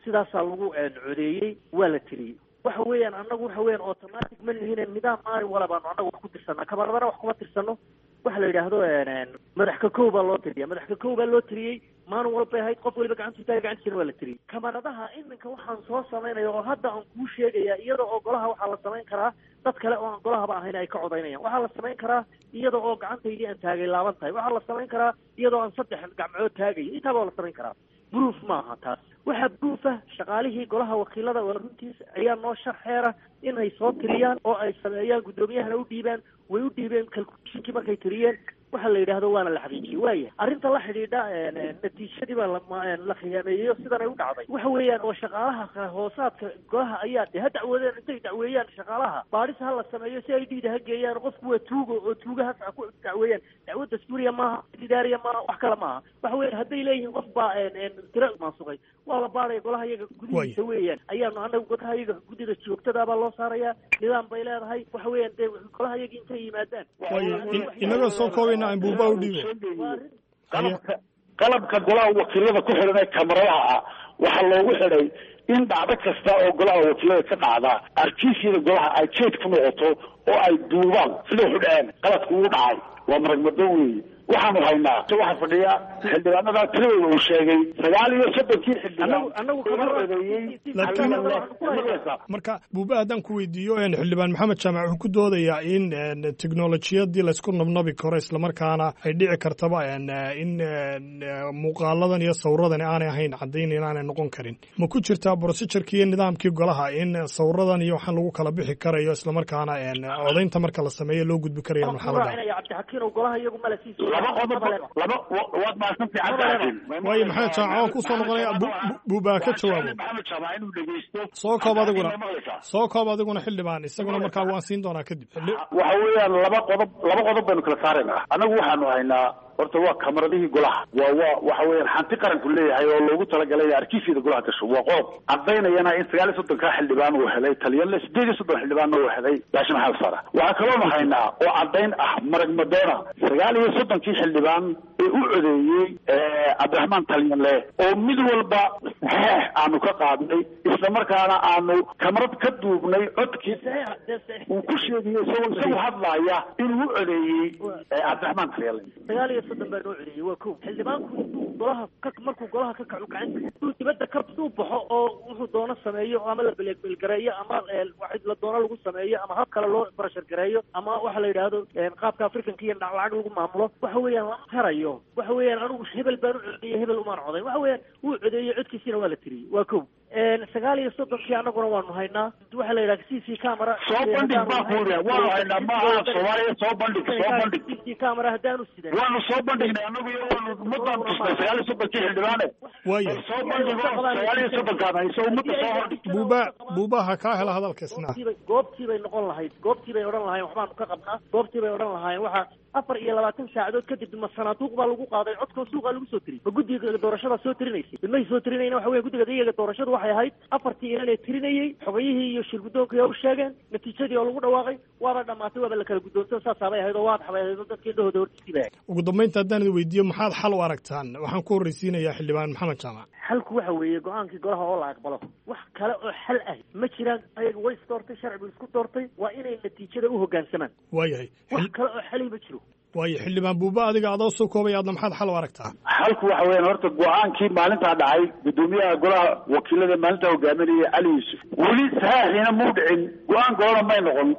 sidaasaa lagu codeeyey, waa la tiriyey. Waxa weeyaan annagu waxa weeyaan automatic ma lihine, nidaam maalin wala baanu annagu wax ku tirsanaa, kabaradana wax kuma tirsano. Waxa la yidhaahdo madax ka kow baa loo tiriya, madax ka kow baa loo tiriyey, maalin walbay ahayd, qof waliba gacantu taagay, gacantiisana waa la tiriyey. Kamaradaha iminka waxaan soo samaynaya oo hadda aan kuu sheegaya, iyada oo golaha waxaa la samayn karaa dad kale oo aan golahaba ahayn ay ka codaynayaan. Waxaa la samayn karaa iyada oo gacantaydii aan taagay laaban tahay. Waxaa la samayn karaa iyadoo aan saddex gacmood taagayo. Intaaba waa la samayn karaa. Proof maaha taas. Waxaa proof ah shaqaalihii golaha wakiilada waa runtiis ayaa noo sharxeera inay soo tiriyaan oo ay sameeyaan, guddoomiyahana u dhiibaan. Way u dhiibeen calculationkii markay tiriyeen, waxa la yidhaahdo waana la xaqiijiyey. Waaya arrinta la xidhiidha natiijadii baa la khiyaameeyeyo sidan ay u dhacday. Waxa weeyaan oo shaqaalaha hoosaadka golaha ayaa de ha dacwoodeen, intay dacweeyaan shaqaalaha baadhis ha la sameeyo si ay dhiida ha geeyaan. Qofku waa tuugo oo tuugahaas ha ku dacweeyaan. Dacwad dastuuriya maaha, idaariya maaha, wax kale maaha. Waxa weeyaan hadday leeyihiin qof baa tiro maasuqay, waa la baadhaya golaha iyaga gudihiisa weeyaan. Ayaanu anagu golaha iyaga guddida joogtada baa loo saarayaa, nidaam bay leedahay. Waxa weeyaan dee golaha iyaga intay yimaadaan inagoo soo koobayna aan buuba u dhiibo. Qalabka qalabka golaha wakiilada ku xidhan ee kamaradaha ah waxaa loogu xidhay in dhacdo kasta oo golaha wakiilada ka dhacda arkiisyada golaha ay jeed ku noqoto oo ay duubaan sida wuxu dhaceen. Qaladku uu dhacay waa maragmado weeye. Waxaanu haynaa waxaa fadhiya xildhibaanada tiradooda uu sheegay sagaal iyo soddonkii xildhibaan. Marka buuba haddaan ku weydiiyo, xildhibaan Maxamed Jaamac wuxuu ku doodayaa in teknolojiyadii laysku nabnabi karo, islamarkaana ay dhici kartaba in muuqaaladan iyo sawiradan aanay ahayn caddayn inaanay noqon karin. Ma ku jirtaa procedurkii iyo nidaamkii golaha in sawiradan iyo waxaan lagu kala bixi karayo, islamarkaana codaynta marka la sameeyo loo gudbi karayo marxalada? Laba qodob, laba waad mahadsantahay Cabdixakiin. Waayo Maxamed Jaamac waan kusoo noqonaya, buubaa ka jawaabo. Maxamed Jaamac inuu dhegeysto. Soo koob adiguna, soo koob adiguna xildhibaan, isaguna markaa waan siin doonaa kadib. Waxa weeyaan laba qodob, laba qodob baynu kala saaraynaa. Annagu waxaanu haynaa horta waa kamaradihii golaha, waa waa waxa weeyaan hanti qaranku leeyahay oo loogu talagalay in arkiisyada golaha gasho. Waa qodob cadaynayana in sagaal iyo soddonkaa xildhibaan uu helay Talyanle, sideed iyo soddon xildhibaanna uu helay Baashe Maxamed Faarax. Waxaa kaloonu haynaa oo caddayn ah marag madoona sagaal iyo soddonkii xildhibaan ee u codeeyey Cabdiraxmaan Talyanle oo mid walba saxeex aanu ka qaadnay, islamarkaana aanu kamarad ka duubnay codkii uu ku sheegayo isagoo isagu hadlaaya inuu u codeeyey Cabdiraxmaan Talyanle. Sagaal iyo soddon baa noo codeeyey waa kow. Xildhibaanku intuu golaha ka markuu golaha ka kaco gacanta intuu dibadda ka uu baxo oo wuxuu doono sameeyo, ama la belegbelgareeyo, ama wax la doono lagu sameeyo, ama hab kale loo barashar gareeyo, ama waxa la yidhaahdo qaabka Afrikanka iyo lacag lagu maamulo, waxa weeyaan lama karayo. Waxa weeyaan anigu hebel baan u codeeyey, hebel umaan codayn. Waxa weeyaan wuu codeeyey, codkiisina waa la tiriyey. Waa kow. Sagaal iyo soddonkii annaguna waanu haynaa. Waxaa la yidhaha C C camera. Soo bandhig baan ku yidhi, waanu haynaa, maaha Soomaaliya, soo bandhig, soo bandhig. C C camera haddaanu sidan waanu soo bandhignay annagu iyo waanu ummadaan tusnay sagaal iyo soddonkii xildhibaane. Waaya. Soo bandhigo sagaal iyo soddonkaan hayso, ummadda soo hordhig. Buuba, Buuba ha kaa hela hadalkaisna. Goobtii bay noqon lahayd, goobtii bay odhan lahayen waxbaanu ka qabnaa, goobtii bay odhan lahaayeen. Waxaa afar iyo labaatan saacadood kadib ma sanaaduuq baa lagu qaaday codkoo suuqa lagu soo tiriyey? Ma guddiga doorashada soo tirinaysay? May soo tirinayna. Waxa weya guddiga iyaga doorashadu waxay ahayd afartii inan ee tirinayey, xogayihii iyo shirguddoonkai u sheegeen natiijadii oo lagu dhawaaqay, waaba dhamaatay, waaba la kala guddoonto, saasaabay ahayd oo waadax bay ahayd oo dadka indhahooda hortiisii bay ahayd. Ugu dambaynta haddaan idin weydiiyo, maxaad xal u aragtaan? Waxaan ku horreysiinayaa xildhibaan Maxamed Jaamac. Xalku waxa weeye go-aankii golaha oo la aqbalo. Wax kale oo xal ah ma jiraan. Ayaga way is doortay, sharcigu isku doortay, waa inay natiijada u hoggaansamaan. Waayahay. Wax kale oo xali ma jiro. Waayo, xildhibaan Buuba, adiga adoo soo koobay, aadna maxaad xal u aragtaa? Xalku waxa weeyaan horta go-aankii maalintaa dhacay, guddoomiyaha golaha wakiilada maalintaa hogaaminayay Cali Yuusuf weli saxiixina muu dhicin, go-aan golana may noqon.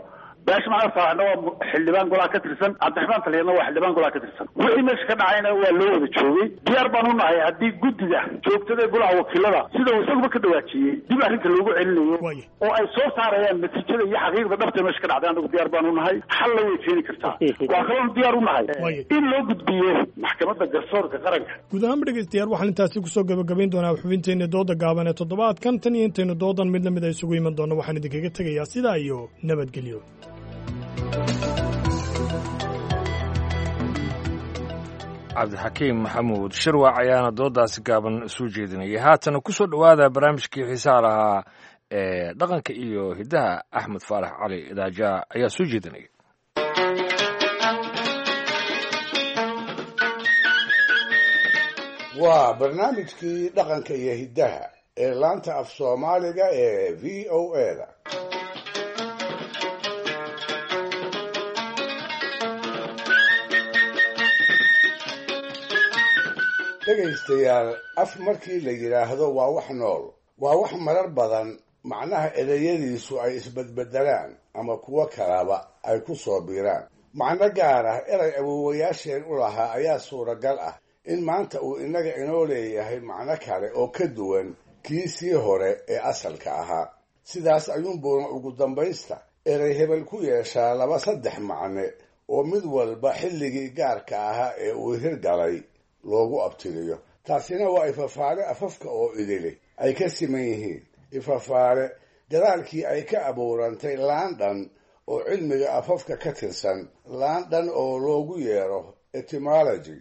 Baasha Maxamed Faaraxna waa xildhibaan golaha ka tirsan, Cabdiraxmaan Taliyadna waa xildhibaan golaha ka tirsan. Wixii meesha ka dhacayna waa loo wada joogay. Diyaar baan u nahay haddii guddiga joogtada ee golaha wakiilada sida uu isaguba ka dhawaajiyey dib arrinta loogu celinayo oo ay soo saarayaan natiijada iyo xaqiiqda dhabta meesha ka dhacday, anagu diyaar baan u nahay. Xalna way keeni kartaa. Waa kaloon diyaar u nahay in loo gudbiyo maxkamadda garsoorka qaranka. Guud ahaanba dhegeystayaal, waxaan intaasi kusoo gabagabayn doonaa xubinteenna dooda gaaban ee toddobaadkan. Tan iyo intaynu doodan mid lamid a isugu iman doonno, waxaan idinkaga tegayaa sidaa iyo nabadgelyo. Cabdixakiim Maxamuud Shirwac ayaana doodaasi gaaban soo jeedinayay. Haatana ku soo dhowaada barnaamijkii xiisaha lahaa ee dhaqanka iyo hiddaha. Axmed Faarax Cali Idaaja ayaa soo jeedinaya. Waa barnaamijkii dhaqanka iyo hiddaha ee laanta af Soomaaliga ee V O A da. Dhegaystayaal, af markii la yidhaahdo waa wax nool, waa wax marar badan macnaha ereyadiisu ay isbedbedelaan ama kuwo kalaba ay ku soo biiraan. Macno gaar ah erey awoowayaasheen u lahaa ayaa suuragal ah in maanta uu innaga inoo leeyahay macno kale oo ka duwan kii sii hore ee asalka ahaa. Sidaas ayuunbuuna ugu dambaysta erey hebel ku yeeshaa laba saddex macne oo mid walba xilligii gaarka ahaa ee uu hirgalay loogu abtiriyo. Taasina waa ifafaale afafka oo idili ay ka siman yihiin, ifafaale gadaalkii ay ka abuurantay laandhan oo cilmiga afafka ka tirsan, laandhan oo loogu yeero etymology,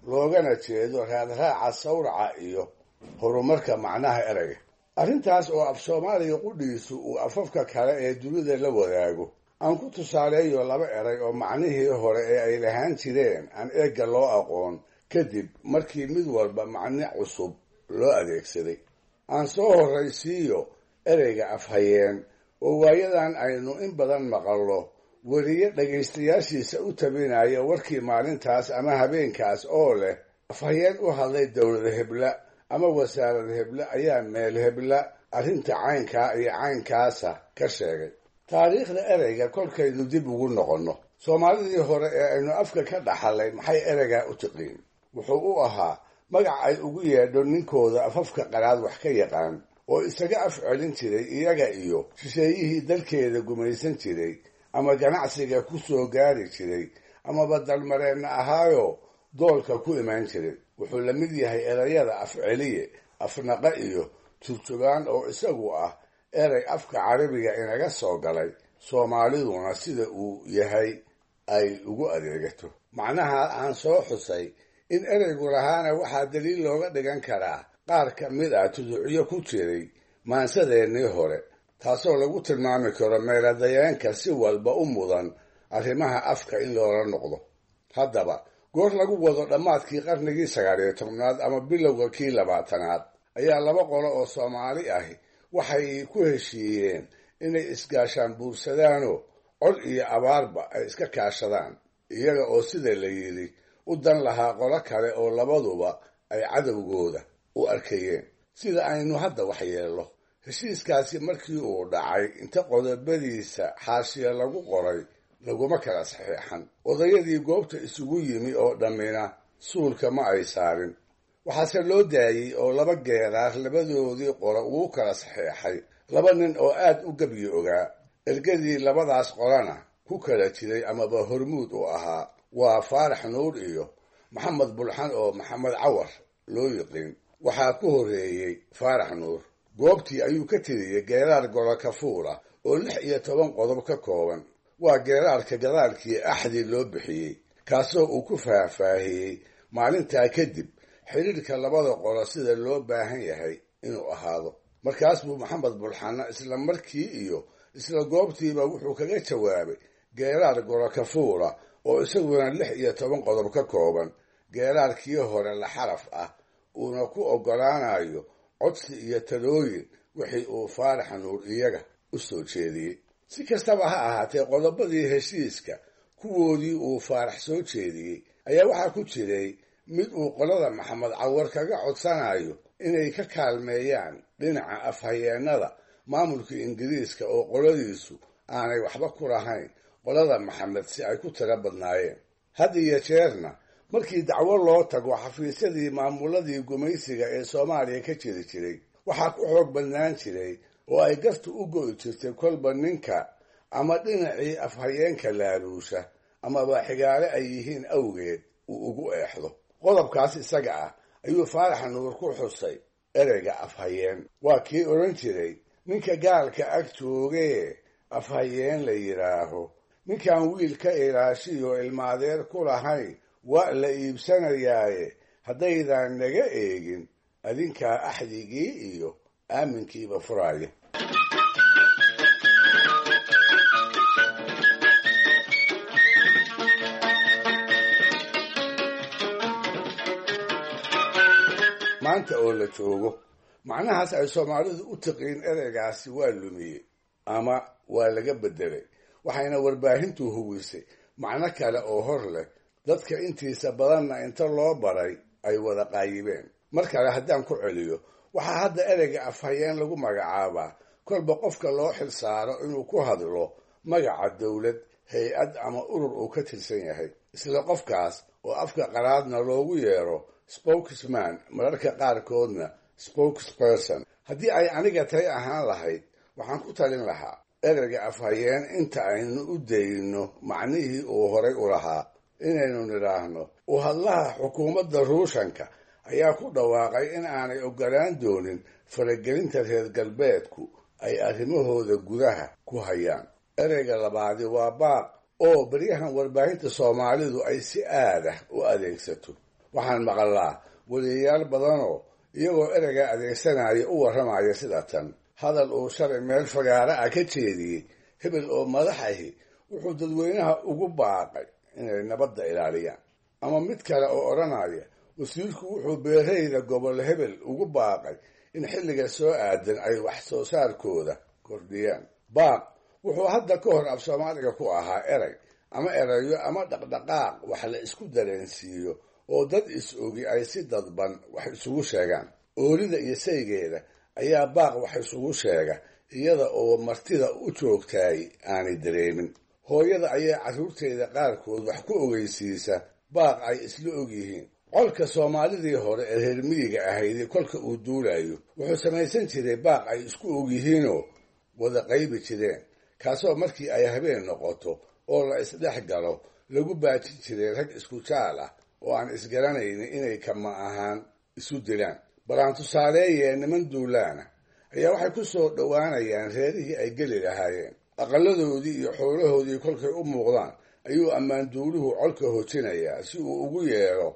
loogana jeedo raadraaca sawraca iyo horumarka macnaha ereyga. Arrintaas oo af Soomaaliga qudhiisu uu afafka kale ee dunida la wadaago, aan ku tusaaleeyo laba erey oo macnihii hore ee ay lahaan jireen aan eegga loo aqoon kadib markii mid walba macne cusub loo adeegsaday. Aan soo horraysiiyo ereyga afhayeen oo waayadan aynu in badan maqallo weriye dhegaystayaashiisa u tabinaya warkii maalintaas ama habeenkaas oo leh afhayeen u hadlay dowlad hebla ama wasaarad hebla ayaa meel hebla arrinta caynkaa iyo caynkaasa ka sheegay. Taariikhda ereyga kolkaynu dib ugu noqonno, Soomaalidii hore ee aynu afka ka dhaxalay maxay ereygaa u tiqiin? Wuxuu u ahaa magac ay ugu yeedho ninkooda afafka qalaad wax ka yaqaan oo isaga af celin jiray iyaga iyo shisheeyihii dalkeeda gumaysan jiray ama ganacsiga ku soo gaari jiray amaba dalmareenna ahaayo doolka ku imaan jiray. Wuxuu la mid yahay erayada afceliye, afnaqa iyo turjugaan oo isagu ah erey afka carabiga inaga soo galay, Soomaaliduna sida uu yahay ay ugu adeegato. Macnaha aan soo xusay in ereygu lahaana waxaa daliil looga dhigan karaa qaar ka mid ah tuducyo ku jiray maansadeennii hore, taasoo lagu tilmaami karo meeladayeenka si walba u mudan arrimaha afka in loola noqdo. Haddaba goor lagu wado dhammaadkii qarnigii sagaal iyo tobnaad ama bilowga kii labaatanaad ayaa laba qolo oo Soomaali ahi waxay ku heshiiyeen inay isgaashaan buursadaanoo cod iyo abaarba ay iska kaashadaan, iyaga oo sida la yidhi u dan lahaa qolo kale oo labaduba ay cadowgooda u arkayeen. Sida aynu hadda wax yeello, heshiiskaasi markii uu dhacay inta qodobadiisa xaashiya lagu qoray laguma kala saxiixan. Odayadii goobta isugu yimi oo dhammina suulka ma ay saarin. Waxaase loo daayey oo laba geeraar labadoodii qolo ugu kala saxeexay laba nin oo aad u gebyi ogaa, ergadii labadaas qolana ku kala jiray amaba hormuud u ahaa, waa Faarax Nuur iyo Maxamed Bulxan oo Maxamed Cawar loo yiqiin. Waxaa ku horreeyey Faarax Nuur. Goobtii ayuu ka tiriyey geeraar golo kafuula oo lix iyo toban qodob ka kooban. Waa geeraarka gadaalkii axdi loo bixiyey, kaasoo uu ku faahfaahiyey maalintaa kadib xidhiirka labada qolo sida loo baahan yahay inuu ahaado. Markaas buu Maxamed Bulxanna isla markii iyo isla goobtiiba wuxuu kaga jawaabay geeraar golo kafuula oo isaguna lix iyo toban qodob ka kooban, geeraarkii hore la xaraf ah, uuna ku oggolaanayo codsi iyo talooyin wixii uu Faarax Nuur iyaga u soo jeediyey. Si kastaba ha ahaatee, qodobadii heshiiska kuwoodii uu Faarax soo jeediyey ayaa waxaa ku jiray mid uu qolada Maxamed Cawar kaga codsanayo inay ka kaalmeeyaan dhinaca afhayeennada maamulka Ingiriiska oo qoladiisu aanay waxba ku lahayn qolada Maxamed si ay ku tiro badnaayeen. Had iyo jeerna markii dacwo loo tago xafiisyadii maamuladii gumaysiga ee Soomaaliya ka jiri jiray, waxaa ku xoog badnaan jiray oo ay gartu u go'i jirtay kolba ninka ama dhinacii afhayeenka laaluusha amaba xigaale ay yihiin awgeed uu ugu eexdo. Qodobkaas isaga ah ayuu Faarax Nuur ku xusay ereyga afhayeen. Waa kii odhan jiray ninka gaalka ag joogee afhayeen la yidhaaho, ninkaan wiil ka ilaashiyo ilmaadeer ku lahayn waa la iibsanayaaye, haddaydaan naga eegin adinkaa axdigii iyo aaminkiiba furaaya. Maanta oo la joogo, macnahaas ay Soomaalidu u tiqiin ereygaasi waa lumiyey ama waa laga beddelay, waxayna warbaahintu huwisay macno kale oo hor leh, dadka intiisa badanna inta loo baray ay wada qaayibeen. Mar kale haddaan ku celiyo, waxaa hadda ereyga afhayeen lagu magacaabaa kolba qofka loo xil saaro inuu ku hadlo magaca dowlad, hay-ad ama urur uu ka tirsan yahay, isla qofkaas oo afka qalaadna loogu yeero spokesman, mararka qaarkoodna spokesperson. Haddii ay aniga tay ahaan lahayd, waxaan ku talin lahaa ereyga afhayeen inta aynu u dayno macnihii uu horay u lahaa, inaynu nidhaahno u hadlaha xukuumadda Ruushanka ayaa ku dhawaaqay in aanay oggolaan doonin faragelinta reer galbeedku ay arrimahooda gudaha ku hayaan. Ereyga labaadi waa baaq, oo beryahan warbaahinta Soomaalidu ay si aadah u adeegsato. Waxaan maqalaa weliyayaal badanoo iyagoo ereyga adeegsanaya u warramaya sida tan: hadal uu shalay meel fagaara ah ka jeediyey hebel oo madax ahi wuxuu dadweynaha ugu baaqay inay nabadda ilaaliyaan. Ama mid kale oo odhanaya wasiirku wuxuu beerayda gobol hebel ugu baaqay in xilliga soo aadan ay wax soo saarkooda kordhiyaan. Baaq wuxuu hadda ka hor af Soomaaliga ku ahaa erey ama erayo ama dhaqdhaqaaq wax la isku dareensiiyo oo dad is-ogi ay si dadban wax isugu sheegaan. Oolida iyo saygeeda ayaa baaq wax isugu sheega iyada oo martida u joogtaay aanay dareemin. Hooyada ayaa carruurteeda qaarkood wax ku ogeysiisa baaq ay isla og yihiin. Colka Soomaalidii hore ee reer miyiga ahaydi kolka uu duulayo wuxuu samaysan jiray baaq ay isku og yihiinoo wada qaybi jireen, kaasoo markii ay habeen noqoto oo la isdhex galo lagu baajin jiray rag isku jaal ah oo aan isgaranaynin inay kama ahaan isu dilaan. Bal aan tusaaleeyee, niman duulaana ayaa waxay ku soo dhowaanayaan reerihii ay geli lahaayeen. Aqalladoodii iyo xoolahoodii kolkay u muuqdaan ayuu ammaanduuluhu colka hojinayaa si uu ugu yeero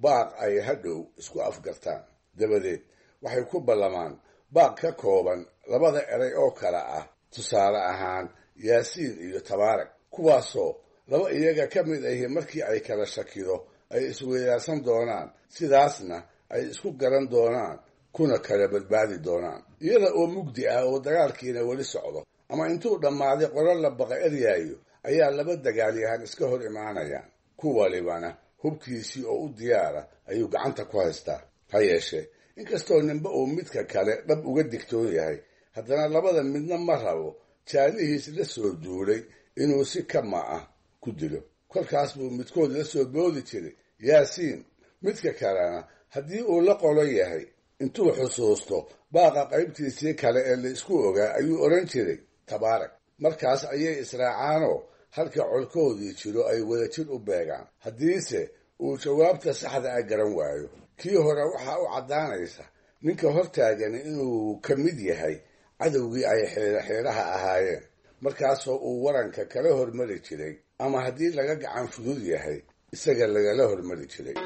baaq ay hadhow isku afgartaan. Dabadeed waxay ku ballamaan baaq ka kooban labada eray oo kale ah, tusaale ahaan Yaasiin iyo Tabaarag, kuwaasoo laba iyaga ka mid ahi markii ay kala shakido ay isweydaarsan doonaan, sidaasna ay isku garan doonaan kuna kala badbaadi doonaan. Iyada oo mugdi ah oo dagaalkiina weli socdo ama intuu dhammaaday qolo la baqa eryaayo ayaa laba dagaalyahan iska hor imaanayaan, ku walibana hubkiisii oo u diyaara ayuu gacanta ku haystaa. Ha yeeshee, inkastoo ninba uu midka kale dhab uga digtoon yahay, haddana labada midna ma rabo jaalihiis la soo duulay inuu si kama ah ku dilo. Kolkaas buu midkood la soo boodi jiray Yaasiin, midka kalena Haddii uu la qolo yahay, intuu xusuusto baaqa qaybtiisii kale ee la isku ogaa ayuu odhan jiray tabaarag. Markaas ayay israacaanoo halka colkoodii jiro ay wadajir u beegaan. Haddiise uu jawaabta saxda ah garan waayo, kii hore waxaa u caddaanaysa ninka hortaagani inuu ka mid yahay cadowgii ay xeeraxeeraha ahaayeen, markaasoo uu waranka kala hormari jiray, ama haddii laga gacan fudud yahay isaga lagala hormari jiray.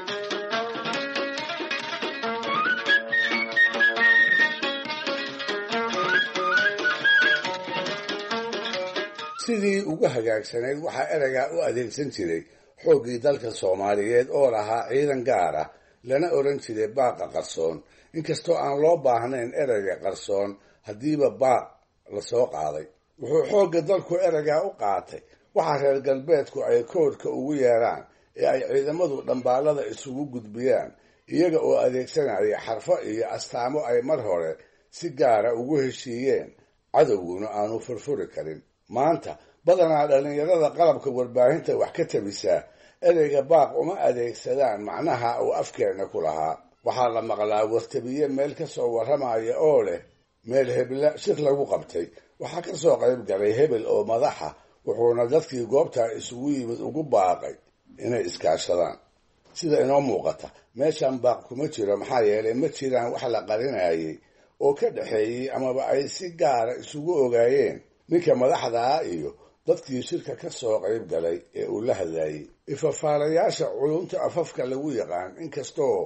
Sidii ugu hagaagsanayd waxaa ereygaa u adeegsan jiray xooggii dalka Soomaaliyeed oo lahaa ciidan gaar ah, lana odhan jiray baaqa qarsoon, inkastoo aan loo baahnayn ereyga qarsoon haddiiba baaq lasoo qaaday. Wuxuu xoogga dalku ereygaa u qaatay waxa reer galbeedku ay koodhka ugu yeeraan ee ay ciidamadu dhambaalada isugu gudbiyaan, iyaga oo adeegsanaya xarfo iyo astaamo ay mar hore si gaara ugu heshiiyeen, cadowguna aanu furfuri karin. Maanta badanaa dhallinyarada qalabka warbaahinta wax ka tabisaa ereyga baaq uma adeegsadaan macnaha uu afkeenna ku lahaa. Waxaa la maqlaa wartabiye meel ka soo warramaya oo leh meel hebla shir lagu qabtay, waxaa ka soo qayb galay hebel oo madaxa, wuxuuna dadkii goobtaa isugu yimid ugu baaqay inay iskaashadaan. Sida inoo muuqata, meeshan baaq kuma jiro, maxaa yeelay ma jiraan wax la qarinayay oo ka dhexeeyey amaba ay si gaara isugu ogaayeen ninka madaxdaa iyo dadkii shirka ka soo qayb galay ee uu la hadlayey. Ifafaalayaasha culunta afafka lagu yaqaan, inkastoo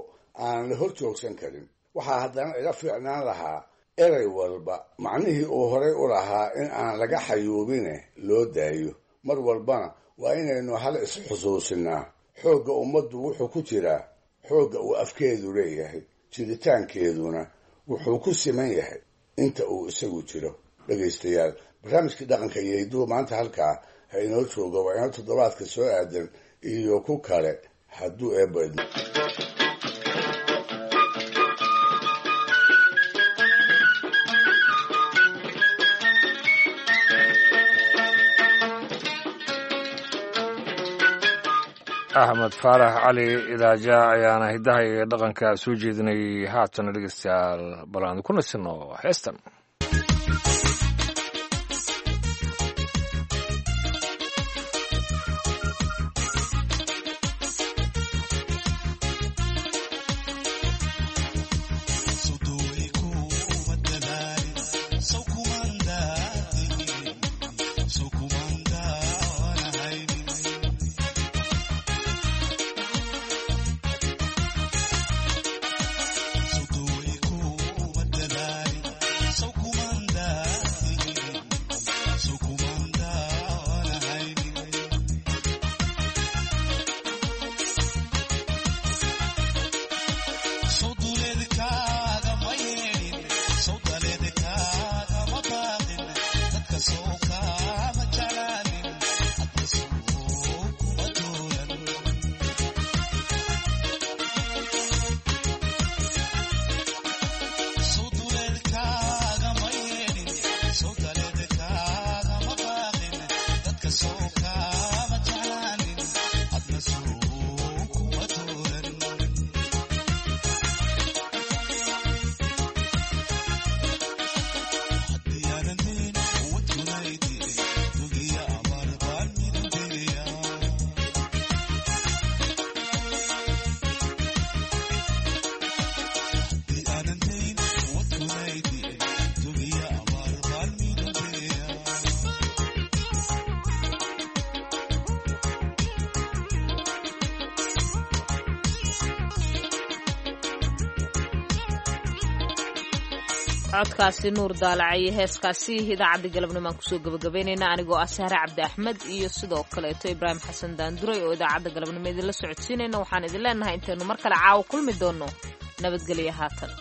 aan la hor joogsan karin, waxaa haddana iga fiicnaan lahaa erey walba macnihii uu horay u lahaa in aan laga xayuubine loo daayo. Mar walbana waa inaynu hal is-xusuusinaa: xoogga ummaddu wuxuu ku jiraa xoogga uu afkeedu leeyahay, jiritaankeeduna wuxuu ku siman yahay inta uu isagu jiro. Dhegaystayaal, barnaamijkii dhaqanka iyo hidduhu maanta halkaa ha inoo joogo. Waa inoo toddobaadka soo aadan iyo ku kale hadduu eebba idmo. Axmed Faarax Cali Idaaja ayaana hiddaha iyo dhaqanka soo jeedinayay. Haatana dhegeystayaal, bal aan ku nasino heestan. Codkaasi Nuur Daalacayo, heeskaasi idaacadda galabnimaan kusoo gabagabaynayna, anigoo ah Sahre Cabdi Axmed iyo sidoo kaleeto Ibraahim Xasan Daanduray oo idaacadda galabnimo idinla socodsiinayna. Waxaan idin leenahay intaynu mar kale caawa kulmi doonno, nabadgelyo haatan.